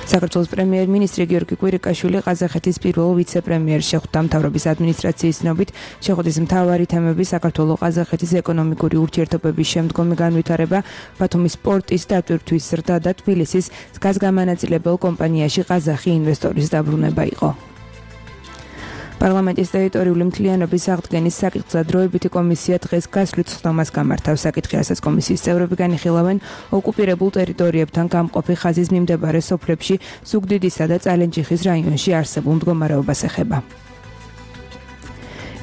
Speaker 2: საქართველოს პრემიერ-მინისტრი გიორგი კვირიკაშვილი ყაზახეთის პირველ ვიცე-პრემიერს შეხვდა. მთავრობის ადმინისტრაციის ცნობით, შეხვედრის მთავარი თემები საქართველო-ყაზახეთის ეკონომიკური ურთიერთობების შემდგომი განვითარება, ბათუმის პორტის დატვირთვის ზრდა და თბილისის გაზგამანაწილებელ კომპანიაში ყაზახი ინვესტორის დაბრუნება იყო. პარლამენტის ტერიტორიული მთლიანობის აღდგენის საკითხზე დროებითი კომისია დღეს გასვლით ხდომას გამართავს. საკითხი, რასაც კომისიის წევრები განიხილავენ, ოკუპირებულ ტერიტორიებთან გამყოფი ხაზის მიმდებარე სოფლებში ზუგდიდისა და წალენჯიხის რაიონში არსებულ მდგომარეობას ეხება.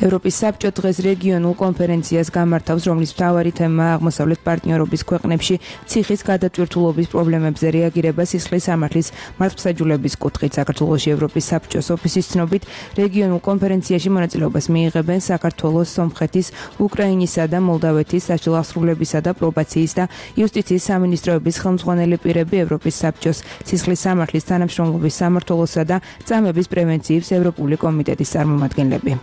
Speaker 2: ევროპის საბჭო დღეს რეგიონულ კონფერენციას გამართავს, რომლის მთავარი თემაა აღმოსავლეთ პარტნიორობის ქვეყნებში ციხის გადატვირთულობის პრობლემებზე რეაგირება სისხლის სამართლის მართლმსაჯულების კუთხით. საქართველოში ევროპის საბჭოს ოფისის ცნობით, რეგიონულ კონფერენციაში მონაწილეობას მიიღებენ საქართველოს, სომხეთის, უკრაინისა და მოლდავეთის საშილახსრულებისა და პრობაციის და იუსტიციის სამინისტროების ხელმძღვანელი პირები, ევროპის საბჭოს სისხლის სამართლის თანამშრომლობის სამმართველოსა და წამების პრევენციის ევროპული კომიტეტის წარმომადგენლები.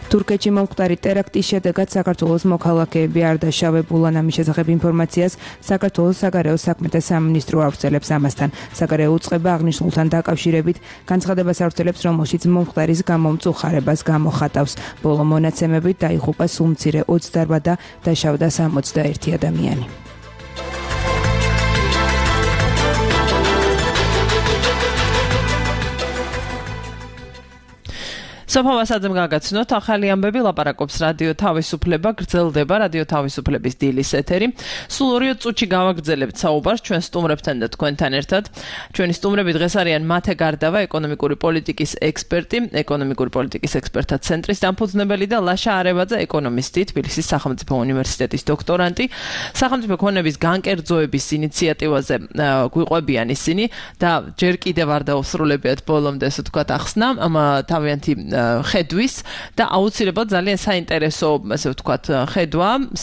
Speaker 2: თურქეთში მომხდარი ტერაქტის შედეგად საქართველოს მოქალაქეები არ დაშავებულან. ამის შესახებ ინფორმაციას საქართველოს საგარეო საქმეთა სამინისტრო ავრცელებს. ამასთან საგარეო უწყება აღნიშნულთან დაკავშირებით განცხადებას ავრცელებს, რომელშიც მომხდარის გამომწუხარებას გამოხატავს. ბოლო მონაცემებით დაიღუპა სულ მცირე 28 და დაშავდა 61 ადამიანი.
Speaker 4: სოფავასაძემ გაგაცნოთ, ახალი ამბები, ლაპარაკობს რადიო თავისუფლება, გრძელდება რადიო თავისუფლების დილის ეთერი. სულ 2 წუთში გავაგრძელებთ საუბარს ჩვენ სტუმრებთან და თქვენთან ერთად. ჩვენი სტუმრები დღეს არიან მათე გარდავა, ეკონომიკური პოლიტიკის ექსპერტი, ეკონომიკური პოლიტიკის ექსპერტთა ცენტრის დამფუძნებელი და ლაშა არევაძე, ეკონომისტი, თბილისის სახელმწიფო უნივერსიტეტის დოქტორანტი. სახელმწიფო ქონების განკერძოების ინიციატივაზე გვიყვებიან ისინი და ჯერ კიდევ არ დაუსრულებიათ ბოლომდე, ასე ვთქვათ, ახსნა თავიანთი ხედვის და აუცილებლად ძალიან საინტერესო, ასე ვთქვათ, ხედვა,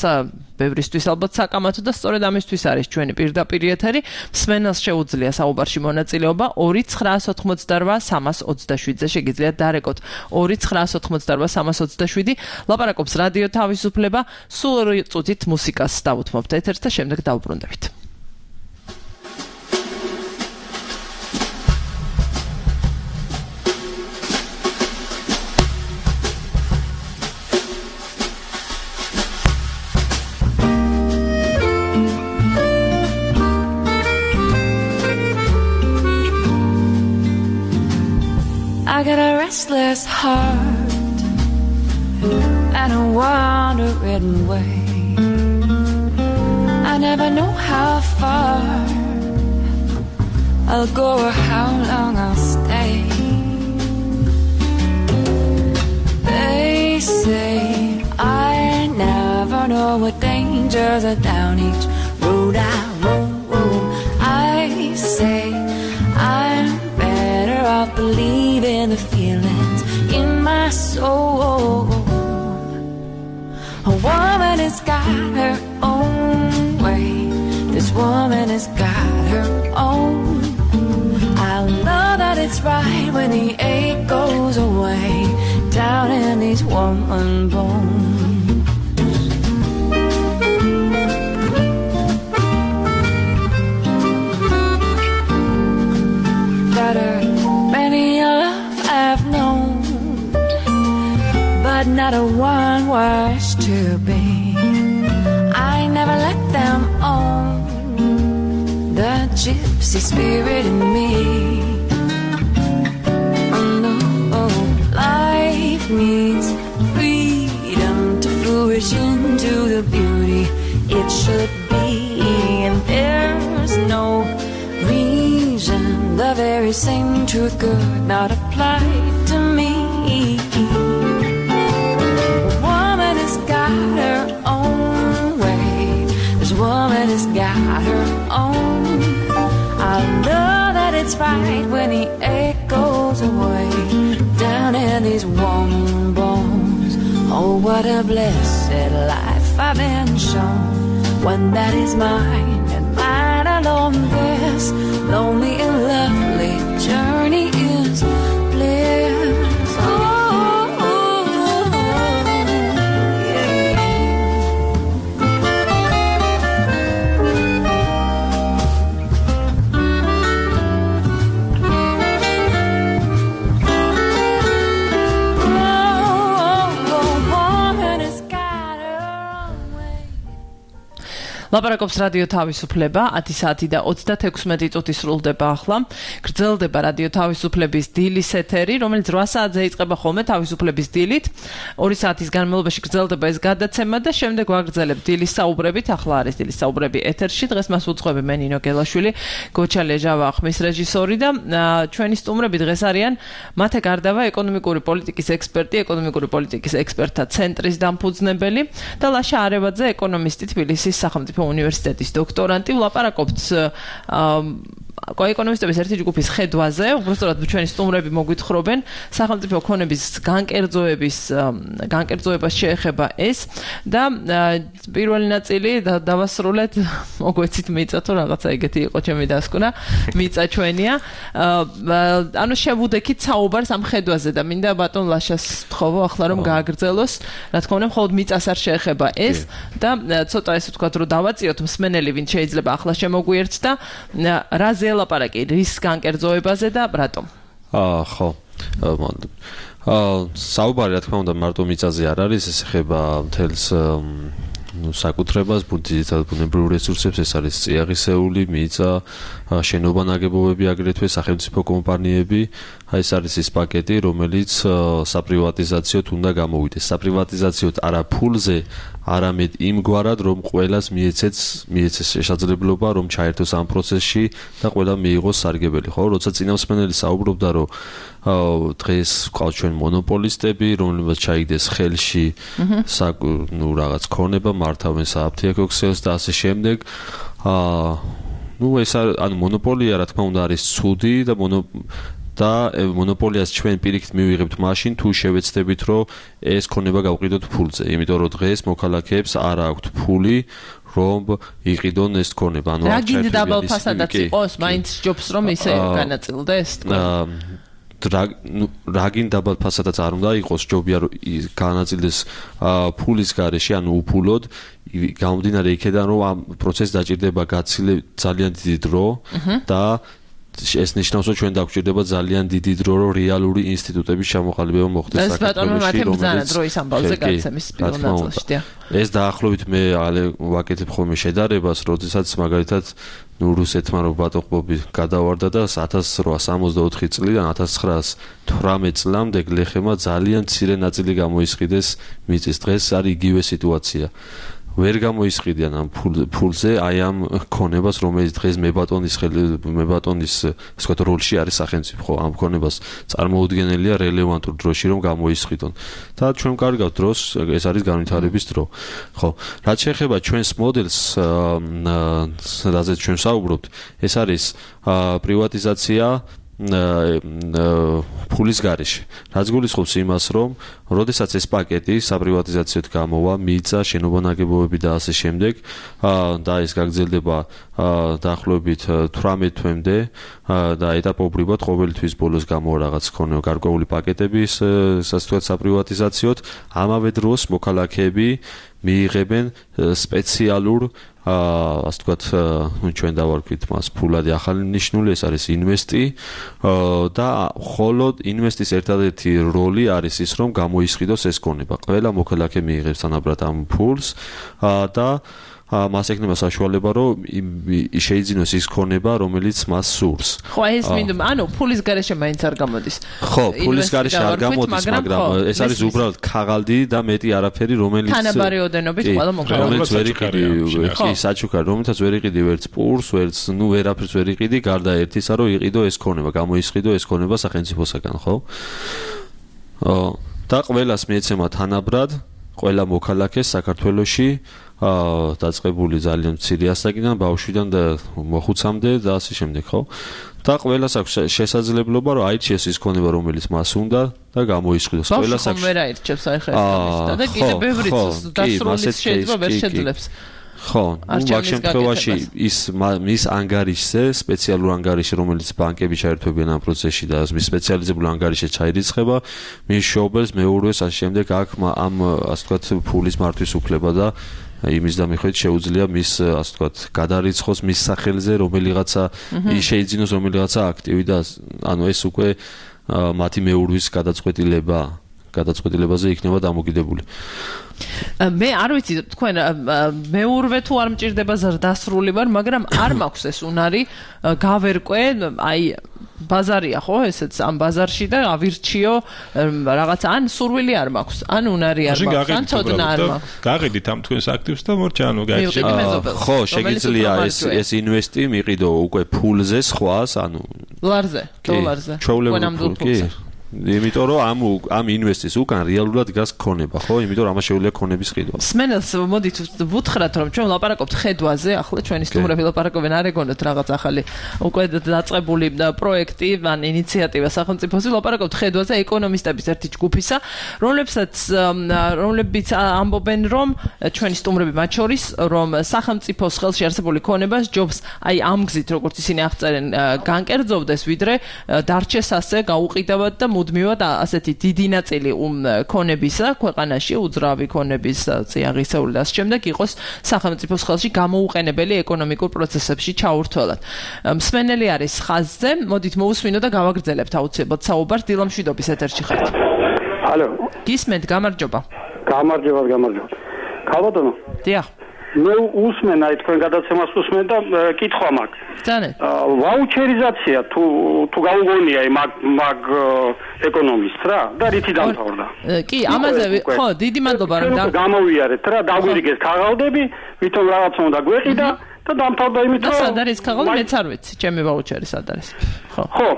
Speaker 4: ბევრისთვის ალბათ საკამათო და სწორედ ამისთვის არის ჩვენი პირდაპირ ეთერი. მსმენელს შეუძლია საუბარში მონაწილეობა 2988327-ზე შეგიძლიათ დარეკოთ 2988327. ლაპარაკობს რადიო თავისუფლება, სულ 2 წუთით მუსიკას დავუთმობთ ეთერს და შემდეგ დავუბრუნდებით.
Speaker 8: I got a restless heart and a wandering way. I never know how far I'll go or how long I'll stay. They say I never know what dangers are down each road I roam. I say I'm better off believing the feelings in my soul. A woman has got her own way. This woman has got her own. I know that it's right when the ache goes away down in these woman bones. Better many of I've known, but not a one was to be. I never let them own the gypsy spirit in me. Oh no, life needs freedom to flourish into the beauty it should be, and there's no reason the very same truth could not apply to me. A woman has got her own way. This woman has got her own. I'll know that it's right when the ache goes away down in these warm bones. Oh, what a blessed life I've been shown. One that is mine and mine alone. This lonely and lovely journey is bliss.
Speaker 4: ლაპარაკობს რადიო თავისუფლება 10 საათი და 36 წუთი სრულდება ახლა. გრძელდება რადიო თავისუფლების დილის ეთერი, რომელიც 8 საათზე იწყება ხოლმე თავისუფლების დილით. 2 საათის განმავლობაში გრძელდება ეს გადაცემა და შემდეგ ვაგრძელებთ დილის საუბრებით. ახლა არის დილის საუბრები ეთერში. დღეს მას უძღვები მე ნინო გელაშვილი, გოჩა ლეჟავა ხმის რეჟისორი და ჩვენი სტუმრები დღეს არიან მათე გარდავა ეკონომიკური პოლიტიკის ექსპერტი, ეკონომიკური პოლიტიკის ექსპერტთა ცენტრის დამფუძნებელი და ლაშა არევაძე, ეკონომისტი, თბილისის სახელმწიფო უნივერსიტეტის დოქტორანტი. ვლაპარაკობთ ეკონომისტების ერთი ჯგუფის ხედვაზე, უბრალოდ ჩვენი სტუმრები მოგვითხრობენ სახელმწიფო ქონების განკერძოებას შეეხება ეს და პირველი ნაწილი დავასრულეთ, მოგვეცით მიწა თუ რაღაცა ეგეთი იყო ჩემი დასკვნა, მიწა ჩვენია. ანუ შევუდექით საუბარს ამ ხედვაზე და მინდა ბატონ ლაშას ვთხოვო ახლა რომ გააგრძელოს, რა თქმა უნდა, მხოლოდ მიწას არ შეეხება ეს და ცოტა ესე ვთქვათ რომ დავაწიოთ მსმენელი, ვინც შეიძლება ახლა შემოგვიერთს და რაზე ლაპარაკი რის განკერძოებაზე და რატომ?
Speaker 6: ხო. საუბარი რა თქმა უნდა მარტო მიწაზე არ არის, ეს ეხება მთელს საკუთრებას, ძირითადად ბუნებრივ რესურსებს, ეს არის წიაღისეული, მიწა, შენობა ნაგებობები, აგრეთვე სახელმწიფო კომპანიები. ეს არის ის პაკეტი, რომელიც საპრივატიზაციოდ უნდა გამოვიდეს. საპრივატიზაციოდ არა ფულზე, არამედ იმგვარად, რომ ყველას მიეცეს შესაძლებლობა, რომ ჩაერთოს ამ პროცესში და ყველა მიიღოს სარგებელი, ხო? როცა წინამსმენელი საუბრობდა, რომ დღეს ყავს ჩვენ მონოპოლისტები, რომლებსაც ჩაიგდეს ხელში რაღაც ქონება, მართავენ სააფთიაქო ქსელს და ასე შემდეგ. ეს ანუ მონოპოლია, რა თქმა უნდა, არის ცუდი და მონოპოლიას ჩვენ პირიქით მივიღებთ მაშინ, თუ შევეცდებით, რომ ეს ქონება გავყიდოთ ფულზე. იმიტომ რომ დღეს მოქალაქეებს არ აქვთ ფული, რომ იყიდონ ეს ქონება. ანუ
Speaker 4: რა გინდა დაბალ ფასადაც იყოს, მაინც ჯობს რომ ისე განაწილდეს თქვენ.
Speaker 6: რა გინდა დაბალ ფასადაც არ უნდა იყოს, ჯობია რომ განაწილდეს ფულის გარეშე, ანუ უფულოდ. გამომდინარე იქედან, რომ ამ პროცესს დაჭირდება ძალიან დიდი დრო და ეს ნიშნავს, რომ ჩვენ დაგვჭირდება ძალიან დიდი დრო, რომ რეალური ინსტიტუტების ჩამოყალიბება მოხდეს
Speaker 4: საქართველოში, რომელიც დროის ამბავზე გაცემის პირველ ნაწილში.
Speaker 6: ეს დაახლოებით მე ვაკეთებ ხოლმე შედარებას, როდესაც მაგალითად რუსეთმა რობატოყბობი გადავარდა და 1864 წლიდან 1918 წლამდე გლეხებმა ძალიან მცირე ნაწილი გამოისყიდეს მიწის. დღეს არის იგივე სიტუაცია. ვერ გამოისყიდიან ამ ფულზე აი ამ ქონებას, რომელიც დღეს მებატონის ვთქვათ როლში არის სახელმწიფო, ამ ქონებას წარმოუდგენელია რელევანტურ დროში რომ გამოისყიდონ. და ჩვენ კარგავთ დროს, ეს არის განვითარების დრო. ხო, რაც შეეხება ჩვენს მოდელს, რაზეც ჩვენ საუბრობთ, ეს არის პრივატიზაცია ფულის გარეშე. რაც გულისხმობს იმას, რომ როდესაც ეს პაკეტი საპრივატიზაციოდ გამოვა, მიწა, შენობა ნაგებობები და ასე შემდეგ, და ეს გაგრძელდება დაახლოებით 18 თვემდე და ეტაპობრივად ყოველთვის ბოლოს გამოვა რაღაც გარკვეული პაკეტების, ასე ვთქვათ, საპრივატიზაციოდ, ამავე დროს მოქალაქეები მიიღებენ სპეციალურ ასე ვთქვათ, ჩვენ დავარქვით მას ფულადი ახალი ნიშნული, ეს არის ინვესტი და მხოლოდ ინვესტის ერთადერთი როლი არის ის, რომ გამოისყიდოს ეს ქონება. ყველა მოქალაქე მიიღებს თანაბრად ამ ფულს და მას ექნება საშუალება, რომ შეიძინოს ის ქონება, რომელიც მას სურს.
Speaker 4: ხო, ეს მინდა, ანუ ფულის გარეშე მაინც არ გამოდის.
Speaker 6: ხო, ფულის გარეშე არ გამოდის, მაგრამ ეს არის უბრალოდ ქაღალდი და მეტი არაფერი, რომელიც
Speaker 4: თანაბარი ოდენობით ყველა მოქალაქე.
Speaker 6: რომელიც ვერ იყიდი, კი, საჩუქარი, რომელთაც ვერ იყიდი ვერც პურს, ვერც, ვერაფერს ვერ იყიდი, გარდა ერთისა, რომ იყიდო ეს ქონება, გამოისყიდო ეს ქონება სახელმწიფოსაგან, ხო? და ყველას მიეცემა თანაბრად ყველა მოქალაქეს საქართველოში დაწყებული ძალიან მცირე ასაკიდან ბავშვიდან და მოხუცამდე და ასე შემდეგ, ხო? და ყველას აქვს შესაძლებლობა რომ აირჩიეს ის ქონება რომელიც მას უნდა და გამოისყიდოს. ყველას აქვს.
Speaker 4: ვერ აირჩევს აი ხა ეს და კიდე ბევრი დასრულის შეიძლება ვერ შეძლებს.
Speaker 6: ხო, მაგ შემთხვევაში ის ანგარიშზე, სპეციალურ ანგარიშზე, რომელიც ბანკები ჩაერთვებიან ამ პროცესში და მის სპეციალიზებულ ანგარიშზე ჩაირიცხება, მის შობელს, მეურვეს, ასე შემდეგ აქ ამ ასე ვთქვათ ფულის მართვის უფლება და იმის და მიხედვით შეუძლია მის ასე ვთქვათ გადარიცხოს მის სახელზე რომელიღაცა შეიძინოს რომელიღაცა აქტივი და ანუ ეს უკვე მათი მეურვის გადაწყვეტილებაზე იქნება დამოკიდებული.
Speaker 4: მე არ ვიცი თქვენ მეურვე თუ არ მჭირდება ზრდასრული ვარ, მაგრამ არ მაქვს ეს უნარი გავერკვე, აი ბაზარია ხო ესეც ამ ბაზარში და ავირჩიო რაღაცა ან სურვილი არ მაქვს, ან უნარი არ მაქვს, ან ცოდნა არ მაქვს.
Speaker 5: გაყიდით ამ თქვენს აქტივს და მორჩა ანუ გაიჩნდა.
Speaker 6: ხო, შეგიძლია ეს ინვესტი მიყიდო უკვე ფულზე სხვას, ანუ
Speaker 4: ლარზე, დოლარზე.
Speaker 6: ჩვეულებრივ კი. იმიტომ რომ ამ ინვესტის უკან რეალურად დგას ქონება, ხო? იმიტომ რომ ამას შეუძლია ქონების ყიდვა.
Speaker 4: სმენელს მოდით ვუთხრათ რომ ჩვენ ვლაპარაკობთ ხედვაზე, ახლა ჩვენი სტუმრები ლაპარაკობენ არ ეგონოთ რაღაც ახალი უკვე დაწყებული პროექტი, ან ინიციატივა სახელმწიფოსი, ლაპარაკობთ ხედვაზე ეკონომისტების ერთი ჯგუფისა, რომლებიც ამბობენ რომ ჩვენი სტუმრები მათ შორის რომ სახელმწიფოს ხელში არსებული ქონებას ჯობს აი ამ გზით როგორც ისინი აღწერენ განკერძოვდეს, ვიდრე დარჩეს ასე გაუყიდავად და მუდმივად ასეთი დიდი ნაწილი ქონებისა ქვეყანაში უძრავი ქონების წიაღისეული და ამ შემდეგ იყოს სახელმწიფოს ხელში გამოუყენებელი ეკონომიკურ პროცესებში ჩაურთველად. მსმენელი არის ხაზზე, მოდით მოусმინო და გავაგრძელებთ აუცილებლად საუბარს. დილა მშვიდობის ეთერში ხართ.
Speaker 9: ალო.
Speaker 4: გისმენთ, გამარჯობა.
Speaker 9: გამარჯობა. ქალბატონო.
Speaker 4: დიახ.
Speaker 9: მე უსმენ აი თქვენ გადაცემას უსმენ და კითხვა მაქვს.
Speaker 4: ძანეთ.
Speaker 9: ვაუჩერიზაცია თუ გაუგონია მაგ ეკონომისტს რა და რითი დამთავრდა?
Speaker 4: კი, ამაზე ხო, დიდი მადლობა რომ
Speaker 9: გამოვიარეთ რა, დაგვირიგეს ქაღალდები, ვითომ რაღაცა უნდა გვეყიდა და დამთავრდა იმით რომ
Speaker 4: სად არის ქაღალდი, მეც არ ვიცი, ჩემი ვაუჩერი სად არის. ხო.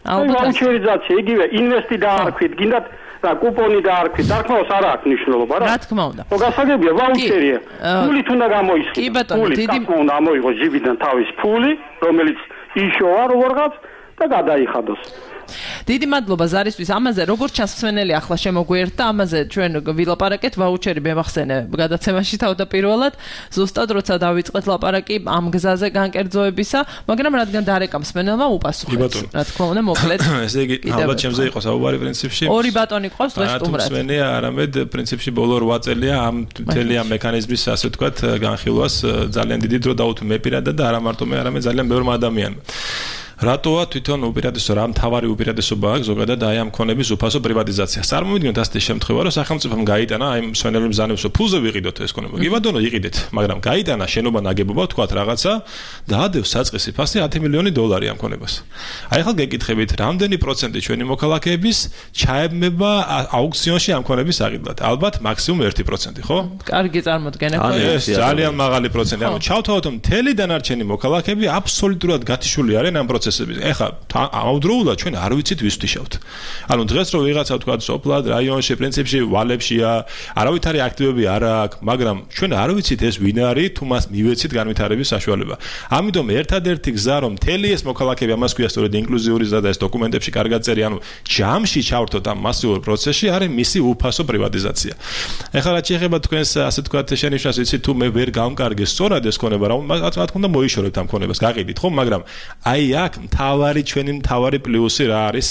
Speaker 9: ვაუჩერიზაცია, იგივე ინვესტი დაარქვით, გინდათ და კუპონი დაარქვით, დარქმავს არ აქვს მნიშვნელობა რა.
Speaker 4: რა თქმა უნდა.
Speaker 9: ხო, გასაგებია, ვაუჩერია. ფულით უნდა გამოისყიდოს.
Speaker 4: კი ბატონო,
Speaker 9: დიდი უნდა ამოიღოს ჯიბიდან თავის ფული, რომელიც იშოვა როგორღაც და გადაიხადოს.
Speaker 4: დიდი მადლობა ზარისთვის. ამაზე როგორც ჩანს მსმენელი ახლა შემოგვიერთდა, ამაზე ჩვენ ვილაპარაკეთ, ვაუჩერი მემახსენე გადაცემაში თავდაპირველად, ზუსტად როცა დავიწყეთ ლაპარაკი ამ გზაზე განკერძოებისა, მაგრამ რადგან დარეკა მსმენელმა უპასუხეთ. რა თქმა უნდა, მოკლედ.
Speaker 5: ესე იგი, ალბათ ჩემზე იყო საუბარი პრინციპში.
Speaker 4: ორი ბატონი ყავს დღეს სტუმრად.
Speaker 5: მსმენელია, არამედ პრინციპში ბოლო 8 წელია ამ მთელი ამ მექანიზმის ასე ვთქვათ განხილვას ძალიან დიდი დრო დაუთმე მე პირადად და არა მარტო მე, არამედ ძალიან ბევრმა ადამიანმა. რატოა თვითონ უპირატესობა რა მთავარი უპირატესობა აქვს ზოგადად აი ამ ქონების უფასო პრივატიზაცია. წარმოვიდგინოთ ასეთი შემთხვევა, რომ სახელმწიფომ გაიტანა აი მსვენელი მბრძანებს რომ ფულზე ვიყიდოთ ეს ქონება. კი ბატონო, იყიდეთ, მაგრამ გაიტანა შენობა ნაგებობა თქვათ რაღაცა და ადევს საწყისი ფასი 10 მილიონი დოლარი ამ ქონებას. აი ახლა გეკითხებით, რამდენი პროცენტი ჩვენი მოქალაქეების ჩაებმება აუქციონში ამ ქონების აღიდლად? ალბათ მაქსიმუმ 1%, ხო?
Speaker 4: კარგი წარმოდგენა ხო?
Speaker 5: ეს ძალიან მაღალი პროცენტი. ანუ ჩავთავოთ რომ მთელი დანარჩენი მოქალაქეები აბსოლუტურად გათიშული არიან ამ ეხლა ამავდროულად ჩვენ არ ვიცით ვის ვთიშავთ. ანუ დღეს რო ვიღაცა თქვა სოფლად, რაიონში, პრინციპში ვალებშია, არავითარი აქტივები არ აქვს, მაგრამ ჩვენ არ ვიცით ეს ვინ არის, თუ მას მივეცით განვითარების საშუალება. ამიტომ ერთადერთი გზა რომ მთელი ეს მოქალაქეები ამას ქვია სწორედ ინკლუზიური ზრდა და ეს დოკუმენტებში კარგად წერი, ანუ ჯამში ჩავრთოთ ამ მასიურ პროცესში არის მისი უფასო პრივატიზაცია. ეხლა რაც შეეხება თქვენს ასე თქვათ შენიშვნას, ვიცით თუ მე ვერ გამკარგე სწორად ეს ქონება, რა თქმა უნდა მოიშორებთ ამ ქონებას, გაყიდით ხო, მაგრამ აი აქ ჩვენი მთავარი პლუსი რა არის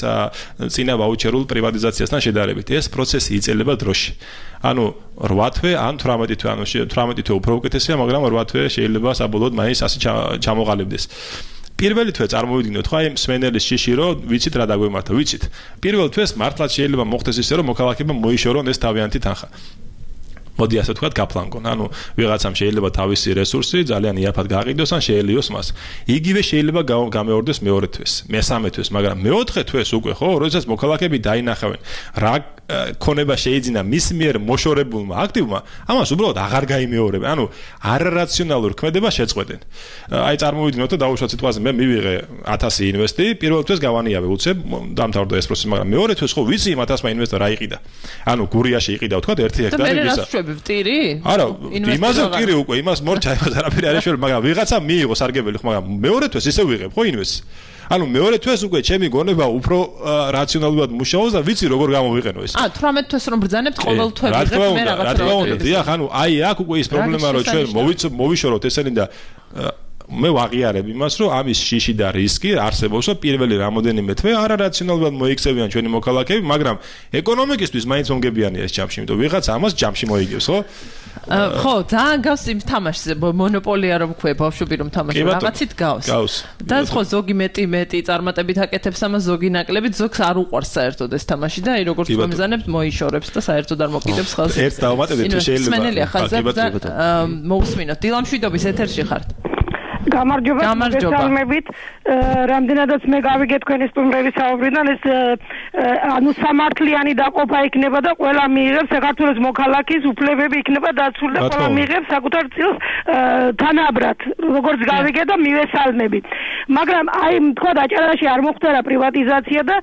Speaker 5: წინა ვაუჩერულ პრივატიზაციასთან შედარებით. ეს პროცესი იწელება დროში. ანუ 8 თვე ან 18 თვე, ანუ 18 თვე უფრო უკეთესია, მაგრამ 8 თვე შეიძლება საბოლოოდ მაინც ასე ჩამოყალიბდეს. პირველი თვე წარმოვიდგინოთ, ხო აი მსმენელის შიში რომ ვიცით რა დაგვემართა, ვიცით. პირველ თვეს მართლაც შეიძლება მოხდეს ისე რომ მოქალაქეებმა მოიშორონ ეს თავიანთი თანხა. მოდი ასე ვთქვათ, გაფლანგონ. ანუ ვიღაცამ შეიძლება თავისი რესურსი ძალიან იაფად გაყიდოს ან შეელიოს მას. იგივე შეიძლება გამეორდეს მეორე თვეს, მესამე თვეს, მაგრამ მეოთხე თვეს უკვე ხო, როდესაც მოქალაქეები დაინახავენ რა ქონება შეიძინა მის მიერ მოშორებულმა აქტივმა, ამას უბრალოდ აღარ გაიმეორებენ. ანუ არარაციონალურ ქმედებას შეწყვეტენ. აი წარმოვიდგინოთ და დაუშვათ სიტყვაზე მე მივიღე 1000 ინვესტი, პირველ თვეს გავანიავე უცებ, დამთავრდა ეს პროცესი, მაგრამ მეორე თვეს ხო ვიცი იმ 1000-მა ინვესტორ რა იყიდა. ანუ გურიაში იყიდა ვთქვათ 1 ჰექტარი
Speaker 4: გისა. და მე რას ვშვები ვტირი?
Speaker 5: არა, იმაზე ვტირი უკვე, იმას მორჩა, იმას არაფერი არ ეშველე, მაგრამ ვიღაცა მიიღო სარგებელი ხო, მაგრამ მეორე თვეს ისე ვიღებ ხო ინვესტს. ანუ მეორე თვეს უკვე ჩემი გონება უფრო რაციონალურად მუშაობს და ვიცი როგორ გამოვიყენო ეს.
Speaker 4: 18 თვეს რომ ბრძანებთ ყოველ თვეებზე მე რაღაცა
Speaker 5: რა თქმა უნდა, დიახ, ანუ აი აქ უკვე ის პრობლემა რომ ჩვენ მოვიშოროთ ესენი და მე ვაღიარებ იმას, რომ ამის შიში და რისკი არსებობს, რომ პირველი რამოდენიმე თვე არარაციონალურად მოიქცევიან ჩვენი მოქალაქეები, მაგრამ ეკონომიკისთვის მაინც მომგებიანია ეს ჯამში, იმიტომ ვიღაც ამას ჯამში მოიგებს, ხო?
Speaker 4: ხო, ძალიან გავს იმ თამაშზე, მონოპოლია რომ ქვია, ბავშვები რომ თამაშობენ, რაღაცით გავს. და ხო ზოგი მეტი წარმატებით აკეთებს ამას, ზოგი ნაკლებით, ზოგს არ უყვარს საერთოდ ეს თამაში და აი როგორც მომიზანებთ, მოიშორებს და საერთოდ არ მოკიდებს ხელს.
Speaker 5: ერთ დავამატებთ თუ შეიძლება.
Speaker 4: სმენელია ხაზზე მოусმინოთ. დილამშვიდობის ეთერში ხართ.
Speaker 10: გამარჯობა, მოგესალმებით. რამდენადაც მე გავიგე თქვენი სტუმრების საუბრიდან, ეს ანუ სამართლიანი დაყოფა იქნება და ყველა მიიღებს საქართველოს მოქალაქის უფლებები იქნება დაცული და ყველა მიიღებს საკუთარ წილს თანაბრად, როგორც გავიგე და მივესალმები. მაგრამ აი თქვა დაჭერაში არ მოხდება პრივატიზაცია და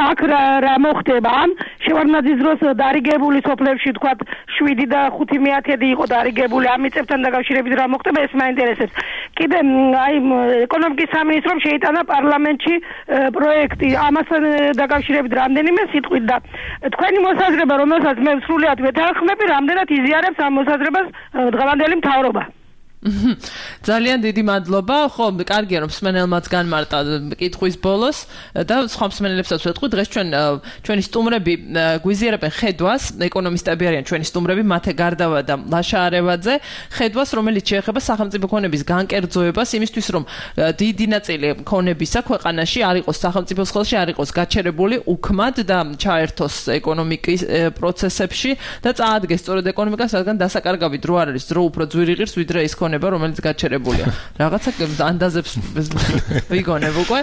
Speaker 10: აქ რა მოხდება? ან შევარდნაძის დროს დარიგებული სოფლებში თქვა 7 და 5 მეათედი იყო დარიგებული, ამ მიწებთან დაკავშირებით რა მოხდება, ეს მაინტერესებს. კიდე აი ეკონომიკის სამინისტრომ შეიტანა პარლამენტში პროექტი ამასთან დაკავშირებით რამდენიმე სიტყვით და თქვენი მოსაზრება, რომელსაც მე სრულიად ვეთანხმები, რამდენად იზიარებს ამ მოსაზრებას დღევანდელი მთავრობა.
Speaker 4: ძალიან დიდი მადლობა. ხო, კარგია რომ მსმენელმაც განმარტა კითხვის ბოლოს და სხვა მსმენელებსაც ვეთქვი, დღეს ჩვენი სტუმრები გვიზიარებენ ხედვას, ეკონომისტები არიან ჩვენი სტუმრები, მათე გარდავა და ლაშა არევაძე, ხედვას, რომელიც შეეხება სახელმწიფო ქონების განკერძოებას, იმისთვის რომ დიდი ნაწილი ქონებისა ქვეყანაში არ იყოს სახელმწიფოს ხელში, არ იყოს გაჩერებული უქმად და ჩაერთოს ეკონომიკის პროცესებში და წაადგეს სწორედ ეკონომიკას, რადგან დასაკარგავი დრო არ არის, დრო უფრო ძვირი ღირს, ვიდრე ის რომელიც გაჩერებულია. რაღაცა ანდაზებს ვიგონებ უკვე.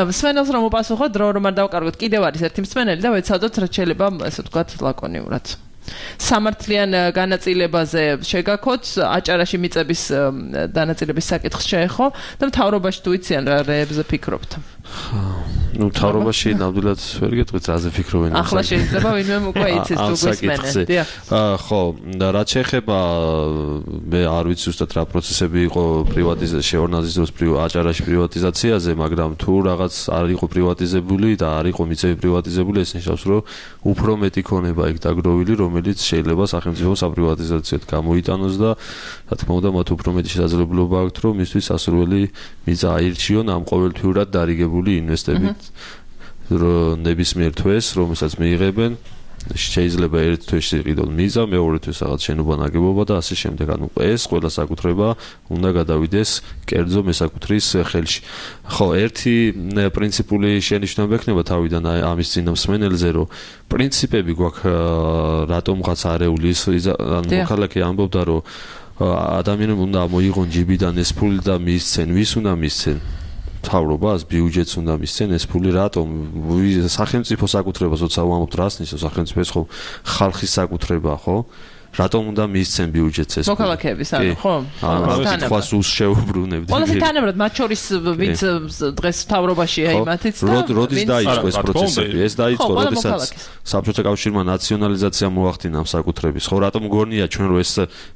Speaker 4: მსმენელს რომ უპასუხო, დრო რომ არ დავკარგოთ, კიდევ არის ერთი მსმენელი და ვეცადოთ რაც შეიძლება, ესე ვთქვათ, ლაკონიურად. სამართლიან განაწილებაზე შეგაქოთ, აჭარაში მიწების დანაწილების საკითხს შეეხო და მთავრობაში თუ იციან რა რეებზე ფიქრობთ.
Speaker 6: ნუ მთავრობაში ნამდვილად ვერ გეტყვით რაზე ფიქრობენ.
Speaker 4: ახლა შეიძლება ვინმე უკვე იცის თუ გვესმენე.
Speaker 6: ხო, და რაც შეეხება მე არ ვიცი ზუსტად რა პროცესები იყო პრივატიზაციაში, შევარდნაძის დროს აჭარაში პრივატიზაციაზე, მაგრამ თუ რაღაც არ იყო პრივატიზებული და არ იყო მიწები პრივატიზებული, ეს ნიშნავს, რომ უფრო მეტი ქონება იქ დაგროვილი, რომელიც შეიძლება სახელმწიფო საპრივატიზაციოდ გამოიტანოს და რა თქმა უნდა მათ უფრო მეტი შესაძლებლობა აქვთ, რომ მისთვის სასურველი მიწა აირჩიონ ამ ყოველთვიურად დარიგებული ინვესტებით ნებისმიერ თვეს, რომელსაც მიიღებენ, შეიძლება ერთ თვეში იყიდონ მიზა, მეორე თვეს რაღაც შენობა ნაგებობა და ასე შემდეგ. ანუ ეს ყველა საკუთრება უნდა გადავიდეს კერძო მესაკუთრის ხელში. ხო, ერთი პრინციპული შენიშვნება ექნება თავიდან ამის წინა მსმენელზე, რომ პრინციპები გვაქვს რატომღაც არეულის, ანუ მოქალაქე ამბობდა, რომ ადამიანებმა უნდა მოიღონ ჯიბიდან ეს ფული და მისცენ, ვის უნდა მისცენ? მთავრობას, ბიუჯეტს უნდა მისცენ ეს ფული, რატომ? სახელმწიფო საკუთრებას როცა ვამბობთ, რას ნიშნავს სახელმწიფო? ეს ხო ხალხის საკუთრება, ხო? რატომ უნდა მისცენ ბიუჯეტს ეს?
Speaker 4: მოქალაქეების არის, ხო?
Speaker 6: თქვას უშეუბრუნებთ.
Speaker 4: ყველაზე თანაბრად მათ შორის ვინც დღეს მთავრობაშია იმათიც და
Speaker 6: როდის დაიწყო ეს პროცესები? ეს დაიწყო, როდესაც საბჭოთა კავშირმა ნაციონალიზაცია მოახდინა ამ საკუთრების. ხო, რატომ გონია ჩვენ რომ ეს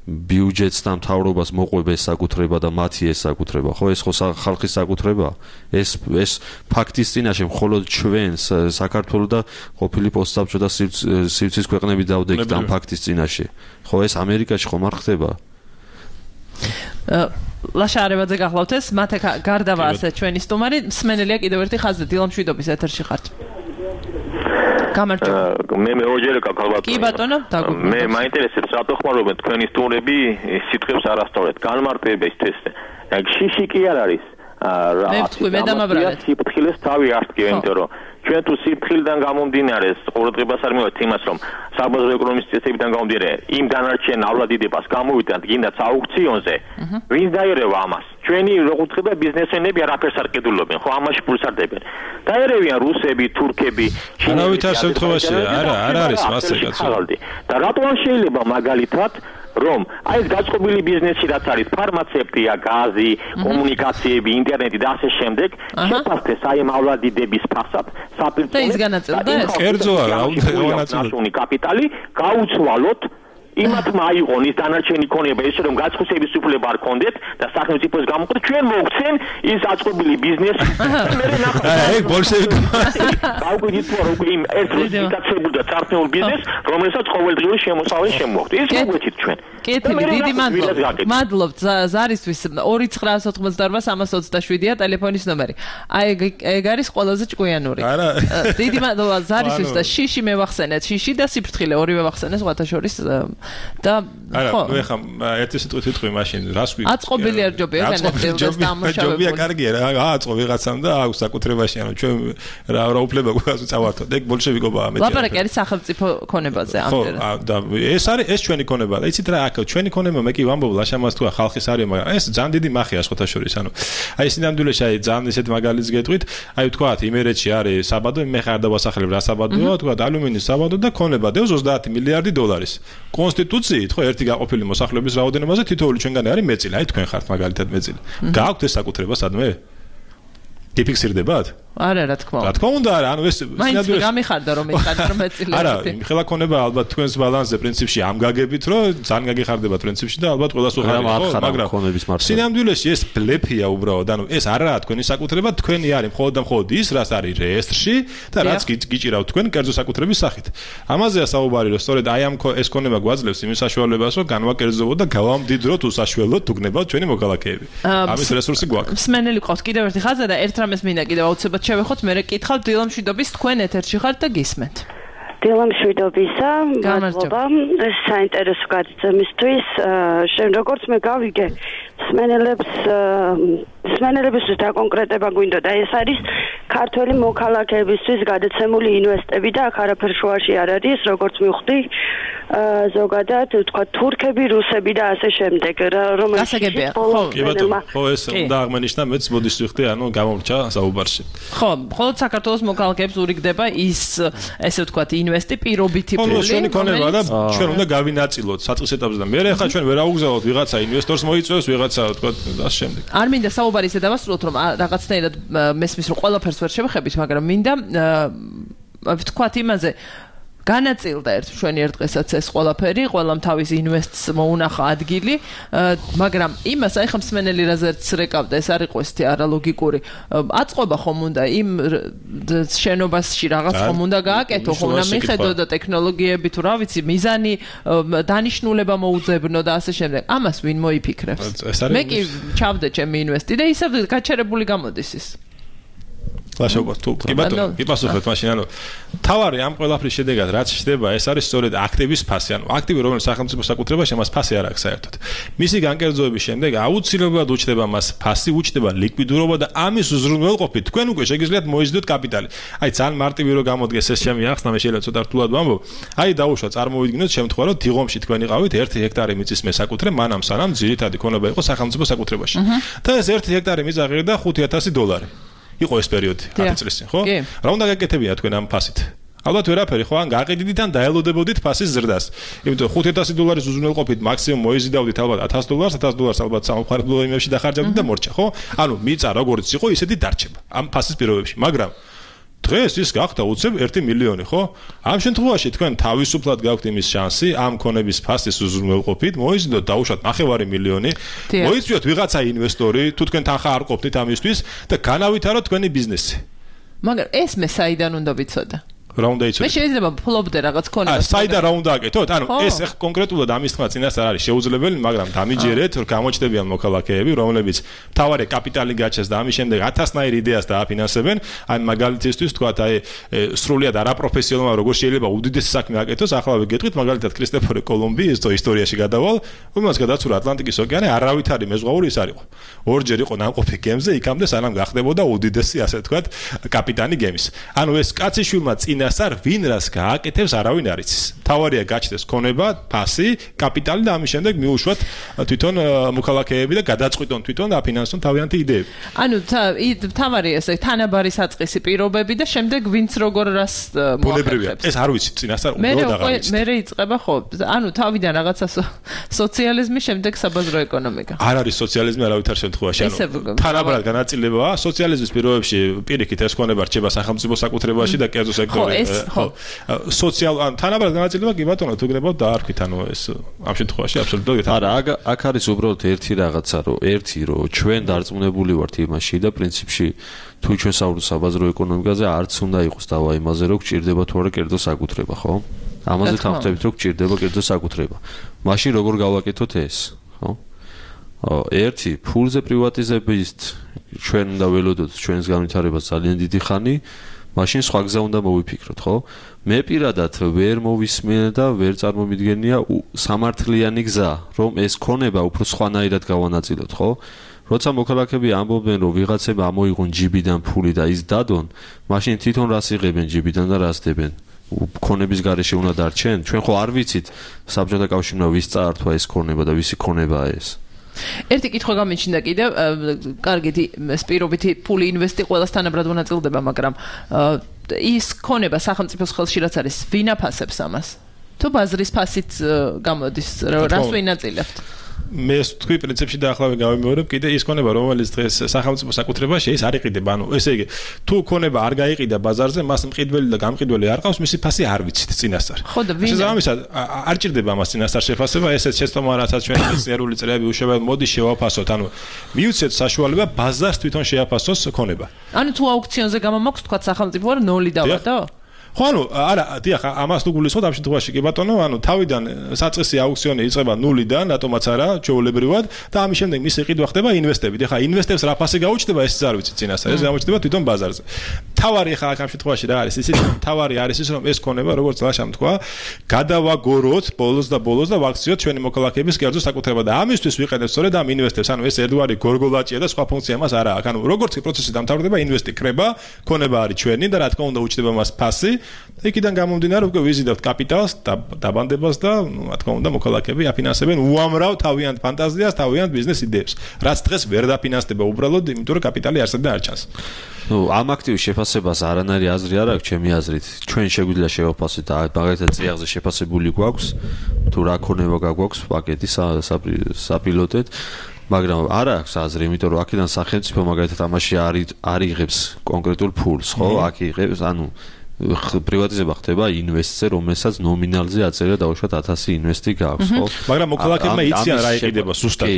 Speaker 6: ბიუჯეტს და მთავრობას მოყვება ეს საკუთრება და მათი ეს საკუთრება? ხო, ეს ხო ხალხის საკუთრება? ეს ფაქტის წინაშე მხოლოდ ჩვენ საქართველოს და ყოფილი პოსტსაბჭოთა სივრცის ქვეყნები დავდექით ამ ფაქტის წინაშე. ხო, ეს ამერიკაში ხომ არ ხდება?
Speaker 4: ლაშა არევაძე გახლავთ ეს, მათე გარდავა ასე ჩვენი სტუმარი, მსმენელია კიდევ ერთი ხაზზე, დილამშვიდობის ეთერში ხართ. გამარჯობა.
Speaker 7: მე მეოჯერე გაქალბატონო.
Speaker 4: კი ბატონო, დაგუბრუნდით.
Speaker 7: მე მაინტერესებს რატო ხმარობენ თქვენი სტუმრები სიტყვებს არასწორად. განმარტებისთვის. შიში კი არ არის.
Speaker 4: მე ვთქვი, მე დამაბრალეთ.
Speaker 7: სიფრთხილეს თავი არ თქვი, იმიტომ რომ ჩვენ თუ სიფრთხილიდან გამომდინარე ყურადღებას არ მივიღებთ იმას, რომ საბაზრო ეკონომიკის წესებიდან გამომდინარე იმ დანარჩენ ავლადიდებას გამოვიდეთ გინდათ აუქციონზე, ვინც დაერევა ამას? ჩვენი როგორც ხდება ბიზნესმენები არაფერს არ ყიდულობენ, ხო, ამაში ფულს არ დებენ. დაერევიან რუსები, თურქები, ჩინელები.
Speaker 5: არავითარ შემთხვევაში არ არის მასე კაცო.
Speaker 7: და რატო არ შეიძლება მაგალითად რომ აი ეს გაწყობილი ბიზნესი რაც არის ფარმაცევტია, გაზი, კომუნიკაციები, ინტერნეტი და ასე შემდეგ შეფასდეს აი ამ ავლადიდების ფასად საპირწონე
Speaker 4: და ის განაწილდეს?
Speaker 5: კერძოა, რაუნდ
Speaker 7: კაპიტალი გაუცვალოთ იმათმა აიღონ ის დანარჩენი ქონება ესე რომ გაცხუსების უფლება არ ქონდეთ და სახელმწიფოს გამოყოთ ჩვენ მოგცენ ის აწყობილი ბიზნესი მე ნახავ
Speaker 5: ეგ ბოლშევიკი
Speaker 7: გაუგდით რომ უკვე იმ ერთ რეგისტრაციებულ და წარსულ ბიზნეს რომელსაც ყოველდღიური შემოსავალი შემოაქვს ის მოგვეცით ჩვენ
Speaker 4: კეთილი დიდი მადლობთ ზარისთვის 2988-327-ია ტელეფონის ნომერი აი ეგ არის ყველაზე ჭკვიანური დიდი მადლობა ზარისთვის და შიში მევახსენეთ შიში და სიფრთხილე ორივე ვახსენეს ღვთაშორის და
Speaker 5: ხო ნუ ეხა ერთი სიტყვით ვიტყვი მაშინ რას ვი
Speaker 4: აწყობილი არ ჯობია განაწილდეს დამუშავებული
Speaker 5: ჯობია კარგია რა აწყო ვიღაცამ და აქვს საკუთრებაში ანუ ჩვენ რა უფლება გვაქვს წავართოთ ეგ ბოლშევიკობაა მე
Speaker 4: ლაპარაკი არის სახელმწიფო ქონებაზე ამდენ
Speaker 5: ხო და ეს ჩვენი ქონება და იცით რა აქ ჩვენი ქონება მე კი ვამბობ ლაშამას თქვა ხალხის არის მაგრამ ეს ძალიან დიდი მახია შეხოთაშორის ანუ აი სინამდვილეში აი ძალიან ისეთ მაგალითს გეტყვით აი ვთქვათ იმერეთში არის საბადო მე ხარ დავასახელებ რა საბადოა ვთქვათ ალუმინის საბადო და ქონება დევს 30 მილიარდი დოლარის კონსტიტუციით ხო ერთი გაყოფილი მოსახლეობის რაოდენობაზე თითოეული ჩვენგანი არის მეწილი აი თქვენ ხართ მაგალითად მეწილი გააქვთ ეს საკუთრება სადმე გიფიქსირდებათ
Speaker 4: არა რა თქმა უნდა
Speaker 5: რა თქმა უნდა არა ანუ ეს
Speaker 4: მაინც გამიხარდა რომ ეხარ მეწილები
Speaker 5: არა იმხელა ქონება ალბათ თქვენს ბალანსზე პრინციპში ამ გაგებით რომ ძალიან გაგიხარდება პრინციპში და ალბათ ყველას უხარია ხო მაგრამ სინამდვილეში ეს ბლეფია უბრალოდ ანუ ეს არაა თქვენი საკუთრება თქვენი არის მხოლოდ და მხოლოდ ის რაც არის რეესტრში და რაც გიჭირავთ თქვენ კერძო საკუთრების სახით ამაზეა საუბარი რომ სწორედ აი ამ ეს ქონება გვაძლევს იმის საშუალებას რომ განვაკერძოვოთ და გავამდიდროთ უსაშველოდ თუგნებად ჩვენი მოქალაქეები ამის რესურსი გვაქვს
Speaker 4: მსმენელი ყავს კიდევ ერთი ხაზა და ერთ რამეს მინდა კიდევ აუცილებლად შევეხოთ მე კითხავ დილამშვიდობის თქვენ ეთერში ხართ და გისმენთ
Speaker 11: დილამშვიდობისა მადლობა საინტერესო გადაცემისთვის როგორც მე გავიგე სმენელებისთვის დაკონკრეტება გვინდოდა ეს არის ქართველი მოქალაქეებისთვის გადაცემული ინვესტები და აქ არაფერ შუაში არ არის როგორც მივხვდი ზოგადად თქვა თურქები, რუსები და ასე შემდეგ რომელიც
Speaker 5: ხო ეს უნდა აღმენიშნა მეც მოდის ვიხდი ანუ გამომრჩა საუბარში
Speaker 4: ხო მხოლოდ საქართველოს მოქალაქეებს ურიგდება ის ესე ვთქვათ ინვესტი პირობითი ფული
Speaker 5: ჩვენი ქონება და ჩვენ უნდა გავინაწილოთ საწყის ეტაპზე და მე ახლა ჩვენ ვერ აუგზავნოთ ვიღაცა ინვესტორს მოიწევს ვიღაცა ვთქვათ და შემდეგ
Speaker 4: არ მინდა საუბარი ისე დავასრულოთ რომ რაღაცნაირად მესმის რომ ყველაფერს ვერ შევხებით მაგრამ მინდა ვთქვათ იმაზე განაწილდა ჩვენი ერთ დღესაც ეს ყველაფერი, ყველამ თავის ინვესტს მოუნახა ადგილი, მაგრამ იმას აი ხა მსმენელი რაზეც რეკავდა, ეს არ იყო ესეთი არალოგიკური. აწყობა ხომ უნდა იმ შენობაში რაღაც ხომ უნდა გააკეთო, ხომ უნდა მიხედო და ტექნოლოგიები თუ რა ვიცი, მიზანი, დანიშნულება მოუძებნო და ასე შემდეგ. ამას ვინ მოიფიქრებს? მე კი ჩავდე ჩემი ინვესტი და ისევ გაჩერებული გამოდის ის.
Speaker 5: ლაშაუბართ თუ კი ბატონო გიპასუხეთ მაშინ ანუ თავარი ამ ყველაფრის შედეგად რაც ხდება ეს არის სწორედ აქტივის ფასი ანუ აქტივი რომელიც სახელმწიფო საკუთრებაში მას ფასი არ აქვს საერთოდ მისი განკერძოების შემდეგ აუცილებლად უჩნდება მას ფასი უჩნდება ლიკვიდურობა და ამის უზრუნველყოფით თქვენ უკვე შეგიძლიათ მოიზიდოთ კაპიტალი აი ძალიან მარტივი რო გამოდგეს ეს ჩემი ახსნა მე შეიძლება ცოტა რთულად ვამბობ აი დაუშვა წარმოვიდგინოთ შემთხვევა რომ დიღომში თქვენ იყავით 1 ჰექტარი მიწის მესაკუთრე მანამ სანამ ძირითადი ქონება იყო სახელმწიფო საკუთრებაში და ეს 1 ჰექტარი მიწა ღირდა $5,000 იყო ეს პერიოდი 10 წლის წინ, ხო? რა უნდა გაკეთებია თქვენ ამ ფასით? ალბათ ვერაფერი, ხო? ან გაყიდით ან დაელოდებოდით ფასის ზრდას. იმიტომ $5,000 უზრუნველყოფით მაქსიმუმ მოიზიდავდით ალბათ $100, $100 ალბათ სამხარებლო იმებში დახარჯავდით და მორჩა, ხო? ანუ მიწა როგორც იყო, ისეთი დარჩება ამ ფასის პირობებში, მაგრამ დღეს ის გახდა უცებ 1 მილიონი, ხო? ამ შემთხვევაში თქვენ თავისუფლად გაქვთ იმის შანსი ამ ქონების ფასის უზრუნველყოფით, მოიზიდოთ დაუშვათ 9 მილიონი, მოიწვიოთ ვიღაცა ინვესტორი, თუ თქვენ თანხა არ ყოფნით ამისთვის და განავითაროთ თქვენი ბიზნესი.
Speaker 4: მაგრამ ეს მე საიდან უნდა ვიცოდე?
Speaker 5: რა უნდა იცოდე?
Speaker 4: მე შეიძლება ფლობდე რაღაც ქონებას.
Speaker 5: საიდან რა უნდა აკეთოთ? ანუ ეს კონკრეტულად ამის თქმა წინასწარ არის შეუძლებელი, მაგრამ დამიჯერეთ, რომ გამოჩნდებიან მოქალაქეები, რომლებიც მთავარი კაპიტალი გაჩეს და ამის შემდეგ 1000-ნაირ იდეას დააფინანსებენ. აი მაგალითისთვის თქვათ, აი სრულიად არაპროფესიონალურად როგორ შეიძლება უდიდესი საქმე აკეთოს, ახლა ვიგეთყვით მაგალითად კრისტოფორ კოლუმბი ის ისტორიაში გადავალ, რომელსაც გადაცურა ატლანტიკის ოკეანე, არავითარი მეზღვაური ის არ იყო. ორჯერ იყო ნამყოფი გემზე, იქამდე სანამ გახდებოდა უდიდესი ასე თქვათ კაპიტანი გემის. ანუ ეს კაციშვილმა წინა წინასწარ ვინ რას გააკეთებს არავინ არ იცის. თავარია გაჩნდეს ქონება, ფასი, კაპიტალი და ამის შემდეგ მიუშვათ თვითონ მოქალაქეები და გადაწყვიტონ თვითონ და აფინანსონ თავიანთი იდეები.
Speaker 4: ანუ თავარია ესე თანაბარი საწყისი პირობები და შემდეგ ვინც როგორ რას მოახერხებს.
Speaker 5: ეს არ ვიცი წინასწარ უნდა დაღამის.
Speaker 4: მე იწყება ხო? ანუ თავიდან რაღაცა სოციალიზმი, შემდეგ საბაზრო ეკონომიკა.
Speaker 5: არ არის სოციალიზმი არავითარ შემთხვევაში. ანუ თანაბრად განაწილებაა სოციალიზმის პირობებში პირიქით ეს ქონება რჩება სახელმწიფო საკუთრებაში და კერძო სექტორი. ანუ თანაბრად განაწილება კი ბატონო თუ გნებავთ დაარქვით ანუ ეს ამ შემთხვევაში აბსოლუტურად
Speaker 6: არა აქ არის უბრალოდ ერთი რაღაცა რომ ჩვენ დარწმუნებული ვართ იმაში და პრინციპში თუ ჩვენ საუბრობთ საბაზრო ეკონომიკაზე არც უნდა იყოს დავა იმაზე რომ გჭირდება თუ არა კერძო საკუთრება ხო? ამაზე თავწებით რომ გჭირდება კერძო საკუთრება. მაშინ როგორ გავაკეთოთ ეს, ხო? ერთი ფულზე პრივატიზების ჩვენ უნდა ველოდოთ ჩვენს განვითარებას ძალიან დიდი ხანი, მაშინ სხვა გზა უნდა მოვიფიქროთ, ხო? მე პირადად ვერ მოვისმენ და ვერ წარმომიდგენია სამართლიანი გზა, რომ ეს ქონება უფრო სხვანაირად გავანაწილოთ, ხო? როცა მოქალაქეები ამბობენ, რომ ვიღაცებმა ამოიღონ ჯიბიდან ფული და ის დადონ, მაშინ თვითონ რას იღებენ ჯიბიდან და რას დებენ? ქონების გარეშე უნდა დარჩენ? ჩვენ ხო არ ვიცით საბჭოთა კავშირმა ვის წაართვა ეს ქონება და ვისი ქონებაა ეს?
Speaker 4: ერთი კითხვა გამიჩნდა კიდევ, კარგი, ეს პირობითი ფული ინვესტი ყველას თანაბრად მონაწილდება, მაგრამ ის ქონება სახელმწიფოს ხელში რაც არის, ვინ აფასებს ამას? თუ ბაზრის ფასით გამოდის, რას ვინაწილებთ?
Speaker 5: მე თქვი პრინციპში დაახლავებით გავიმეორებ კიდე ის ქონება რომელიც დღეს სახელმწიფო საკუთრებაში ის არ იყიდება ანუ ესე იგი თუ ქონება არ გაიყიდა ბაზარზე მას მყიდველი და გამყიდველი არ ყავს მისი ფასი არ ვიცით წინასწარ შესაბამისად არ ჭირდება ამას წინასწარ შეფასება ესეც შეცდომა რასაც ჩვენ მეცნიერული წრეები უშვებად მოდი შევაფასოთ ანუ მიუცეთ საშუალება ბაზარს თვითონ შეაფასოს ქონება
Speaker 4: ანუ თუ აუქციონზე გამომაქვს თქვა სახელმწიფო არ 0 დავადო
Speaker 5: ხო ანუ არა დიახ ამას თუ გულისხმობთ ამ შემთხვევაში კი ბატონო ანუ თავიდან საწყისი აუქციონი იწყება 0-დან რატომაც არა ჩვეულებრივად და ამის შემდეგ მისი ყიდვა ხდება ინვესტებით ეხლა ინვესტებს რა ფასი გაუჩნდება ესეც არ ვიცი წინასწარ ეს გამოჩნდება თვითონ ბაზარზე თავარი ეხლა ამ შემთხვევაში რა არის ისიც თავარი არის ის რომ ეს ქონება როგორც ლაშამ თქვა გადავაგოროთ ბოლოს და ვაქციოთ ჩვენი მოქალაქეების კერძო საკუთრება და ამისთვის ვიყენებთ სწორედ ამ ინვესტებს ანუ ეს ერთგვარი გორგოლაჭია და სხვა ფუნქცია მას არ აქვს ანუ როგორც პროცესი დამთავრდება ინვესტი კრება ქონება არის ჩვენი და რა თქმა უნდა უჩნდება მას ფასი იქიდან გამომდინარე უკვე ვიზიდავთ კაპიტალს დაბანდებას და რა თქმა უნდა მოქალაქეები აფინანსებენ უამრავ თავიანთ ფანტაზიას, თავიანთ ბიზნეს იდეებს. რაც დღეს ვერ დაფინანსდება უბრალოდ იმიტომ რომ კაპიტალი არსებდა არ ჩანს.
Speaker 6: ნუ ამ აქტივის შეფასებას არანაირი აზრი არ აქვს ჩემი აზრით. ჩვენ შეგვიძლია შევაფასოთ და მაგალითად წიაღზე შეფასებული გვაქვს თუ რა ქონება გაგვაქვს პაკეტი საპილოტეთ მაგრამ არ აქვს აზრი, იმიტომ რომ აქედან სახელმწიფო მაგალითად ამაში არ იღებს კონკრეტულ ფულს, ხო? აქ იღებს, ანუ პრივატიზება ხდება ინვესტზე, რომელსაც ნომინალზე აწერია დაუშვათ 1000 ინვესტი გაქვს, ხო?
Speaker 5: მაგრამ მოქალაქეებმა იციან რა იყიდება ზუსტად.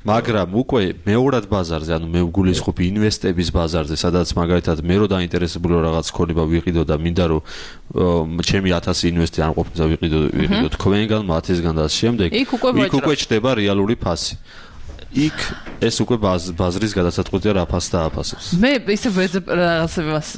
Speaker 6: მაგრამ უკვე მეორად ბაზარზე, ანუ მე ვგულისხმობ ინვესტების ბაზარზე, სადაც მაგალითად მე რო დაინტერესებული რაღაც ქონება ვიყიდო და მინდა რომ ჩემი 1000 ინვესტი არ ყოფნა ვიყიდო თქვენგან, მათისგან და შემდეგ, იქ უკვე ჩდება რეალური ფასი. იქ ეს უკვე ბაზრის გადასაწყვეტია რა ფასს დააფასებს.
Speaker 4: მე ისე რაღაცებას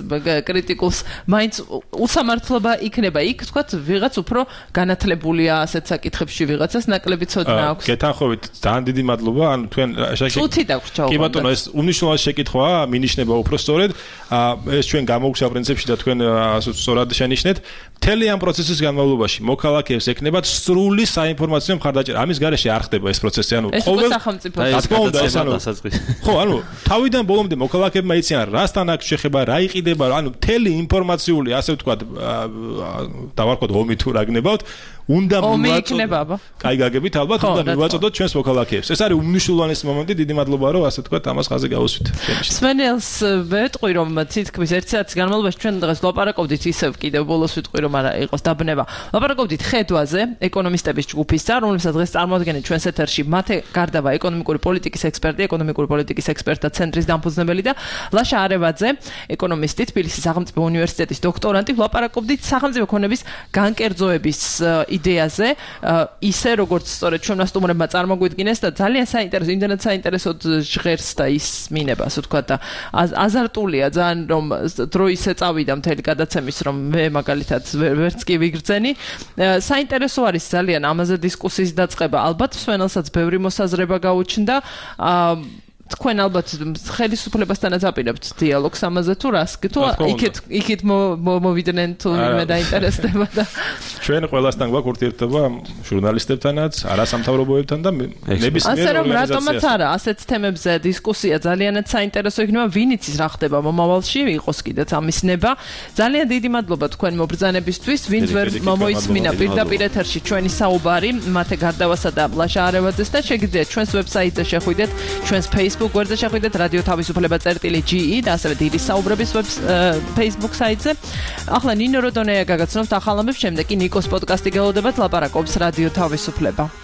Speaker 4: კრიტიკულს მაინც უსამართლობა იქნება. იქ თქვათ ვიღაც უფრო განათლებულია ასეთ საკითხებში ვიღაცას ნაკლები ცოდნა აქვს.
Speaker 5: გეთანხმებით ძალიან დიდი მადლობა. ანუ თქვენ
Speaker 4: წუთი დაგვრჩა.
Speaker 5: კი ბატონო ეს უმნიშვნელოვანესი შეკითხვაა, მინიშნება უფრო სწორედ. ეს ჩვენ გამოგუშვა პრინციპში და თქვენ სწორად შენიშნეთ. მთელი ამ პროცესის განმავლობაში მოქალაქეებს ეკნებათ სრული საინფორმაციო მხარდაჭერა. ამის გარეშე არ ხდება ეს პროცესი. ანუ
Speaker 4: ყოველ სახელმწიფო
Speaker 5: ხო, ანუ თავიდან ბოლომდე მოქალაქეებმა იციან რასთან აქვს შეხება, რა იყიდება, ანუ მთელი ინფორმაციული, ასე ვთქვათ, დავარქვათ ომი თუ რა გნებავთ, უნდა
Speaker 4: მივაწოდოთ.
Speaker 5: კაი გაგებით, ალბათ უნდა მივაწოდოთ ჩვენს მოქალაქეებს. ეს არის უმნიშვნელოვანესი მომენტი, დიდი მადლობა, რომ ასე ვთქვათ, ამას ხაზზე გავუსვით.
Speaker 4: სვენელს ვეტყვი, რომ თითქმის 1 საათის განმავლობაში ჩვენ დღეს ლაპარაკობდით ისევ კიდევ ბოლოს ვიტყვი, რომ არა იყოს დაბნება. ლაპარაკობდით ხედვაზე, ეკონომისტების ჯგუფის წარ, რომელსაც დღეს წარმოადგენენ ჩვენს ეთერში მათე გარდავა ეკონომიკური პოლიტიკის ექსპერტი, ეკონომიკური პოლიტიკის ექსპერტთა ცენტრის დამფუძნებელი და ლაშა არევაძე, ეკონომისტი, თბილისის სახელმწიფო უნივერსიტეტის დოქტორანტი, ვლაპარაკობდით სახელმწიფო ქონების განკერძოების იდეაზე, ისე როგორც სწორედ ჩვენმა სტუმრებმა წარმოგვიდგინეს და ძალიან საინტერესო, იმდენად საინტერესოდ ჟღერს და ისმინება, ასე ვთქვათ და აზარტულია ძალიან რომ დრო ისე წავიდა მთელი გადაცემის რომ მე მაგალითად ვერც კი ვიგრძენი. საინტერესო არის ძალიან ამაზე დისკუსიის დაწყება. ალბათ სვენელსაც ბევრი მოსაზრება გაუჩნდა. თქვენ ალბათ ხელისუფლებასთანაც აპირებთ დიალოგს ამაზე თუ რას თუ იქით მოვიდნენ თუ მე დაინტერესდება და
Speaker 5: ჩვენ ყველასთან გვაქვს ურთიერთობა ჟურნალისტებთანაც, არასამთავრობოებთან და ნებისმიერ
Speaker 4: რომ რატომაც არა ასეთ თემებზე დისკუსია ძალიანაც საინტერესო იქნება, ვინ იცის რა ხდება მომავალში, იყოს კიდეც ამის ნება. ძალიან დიდი მადლობა თქვენ მობრძანებისთვის, ვინც ვერ მომოისმინა პირდაპირ ეთერში ჩვენი საუბარი, მათე გარდავასა და ლაშა არევაძეს და შეგიძლიათ ჩვენს ვებსაიტზე შეხვიდეთ, ჩვენს Facebook გვერდზე შეხვიდეთ რადიო თავისუფლება.ge და ასევე დიდი საუბრების Facebook საიტზე. ახლა ნინო როდონეა გაგაცნობთ ახალ ამბებს, შემდეგ კი ნიკოს პოდკასტი გელოდებათ, ლაპარაკობს რადიო თავისუფლება.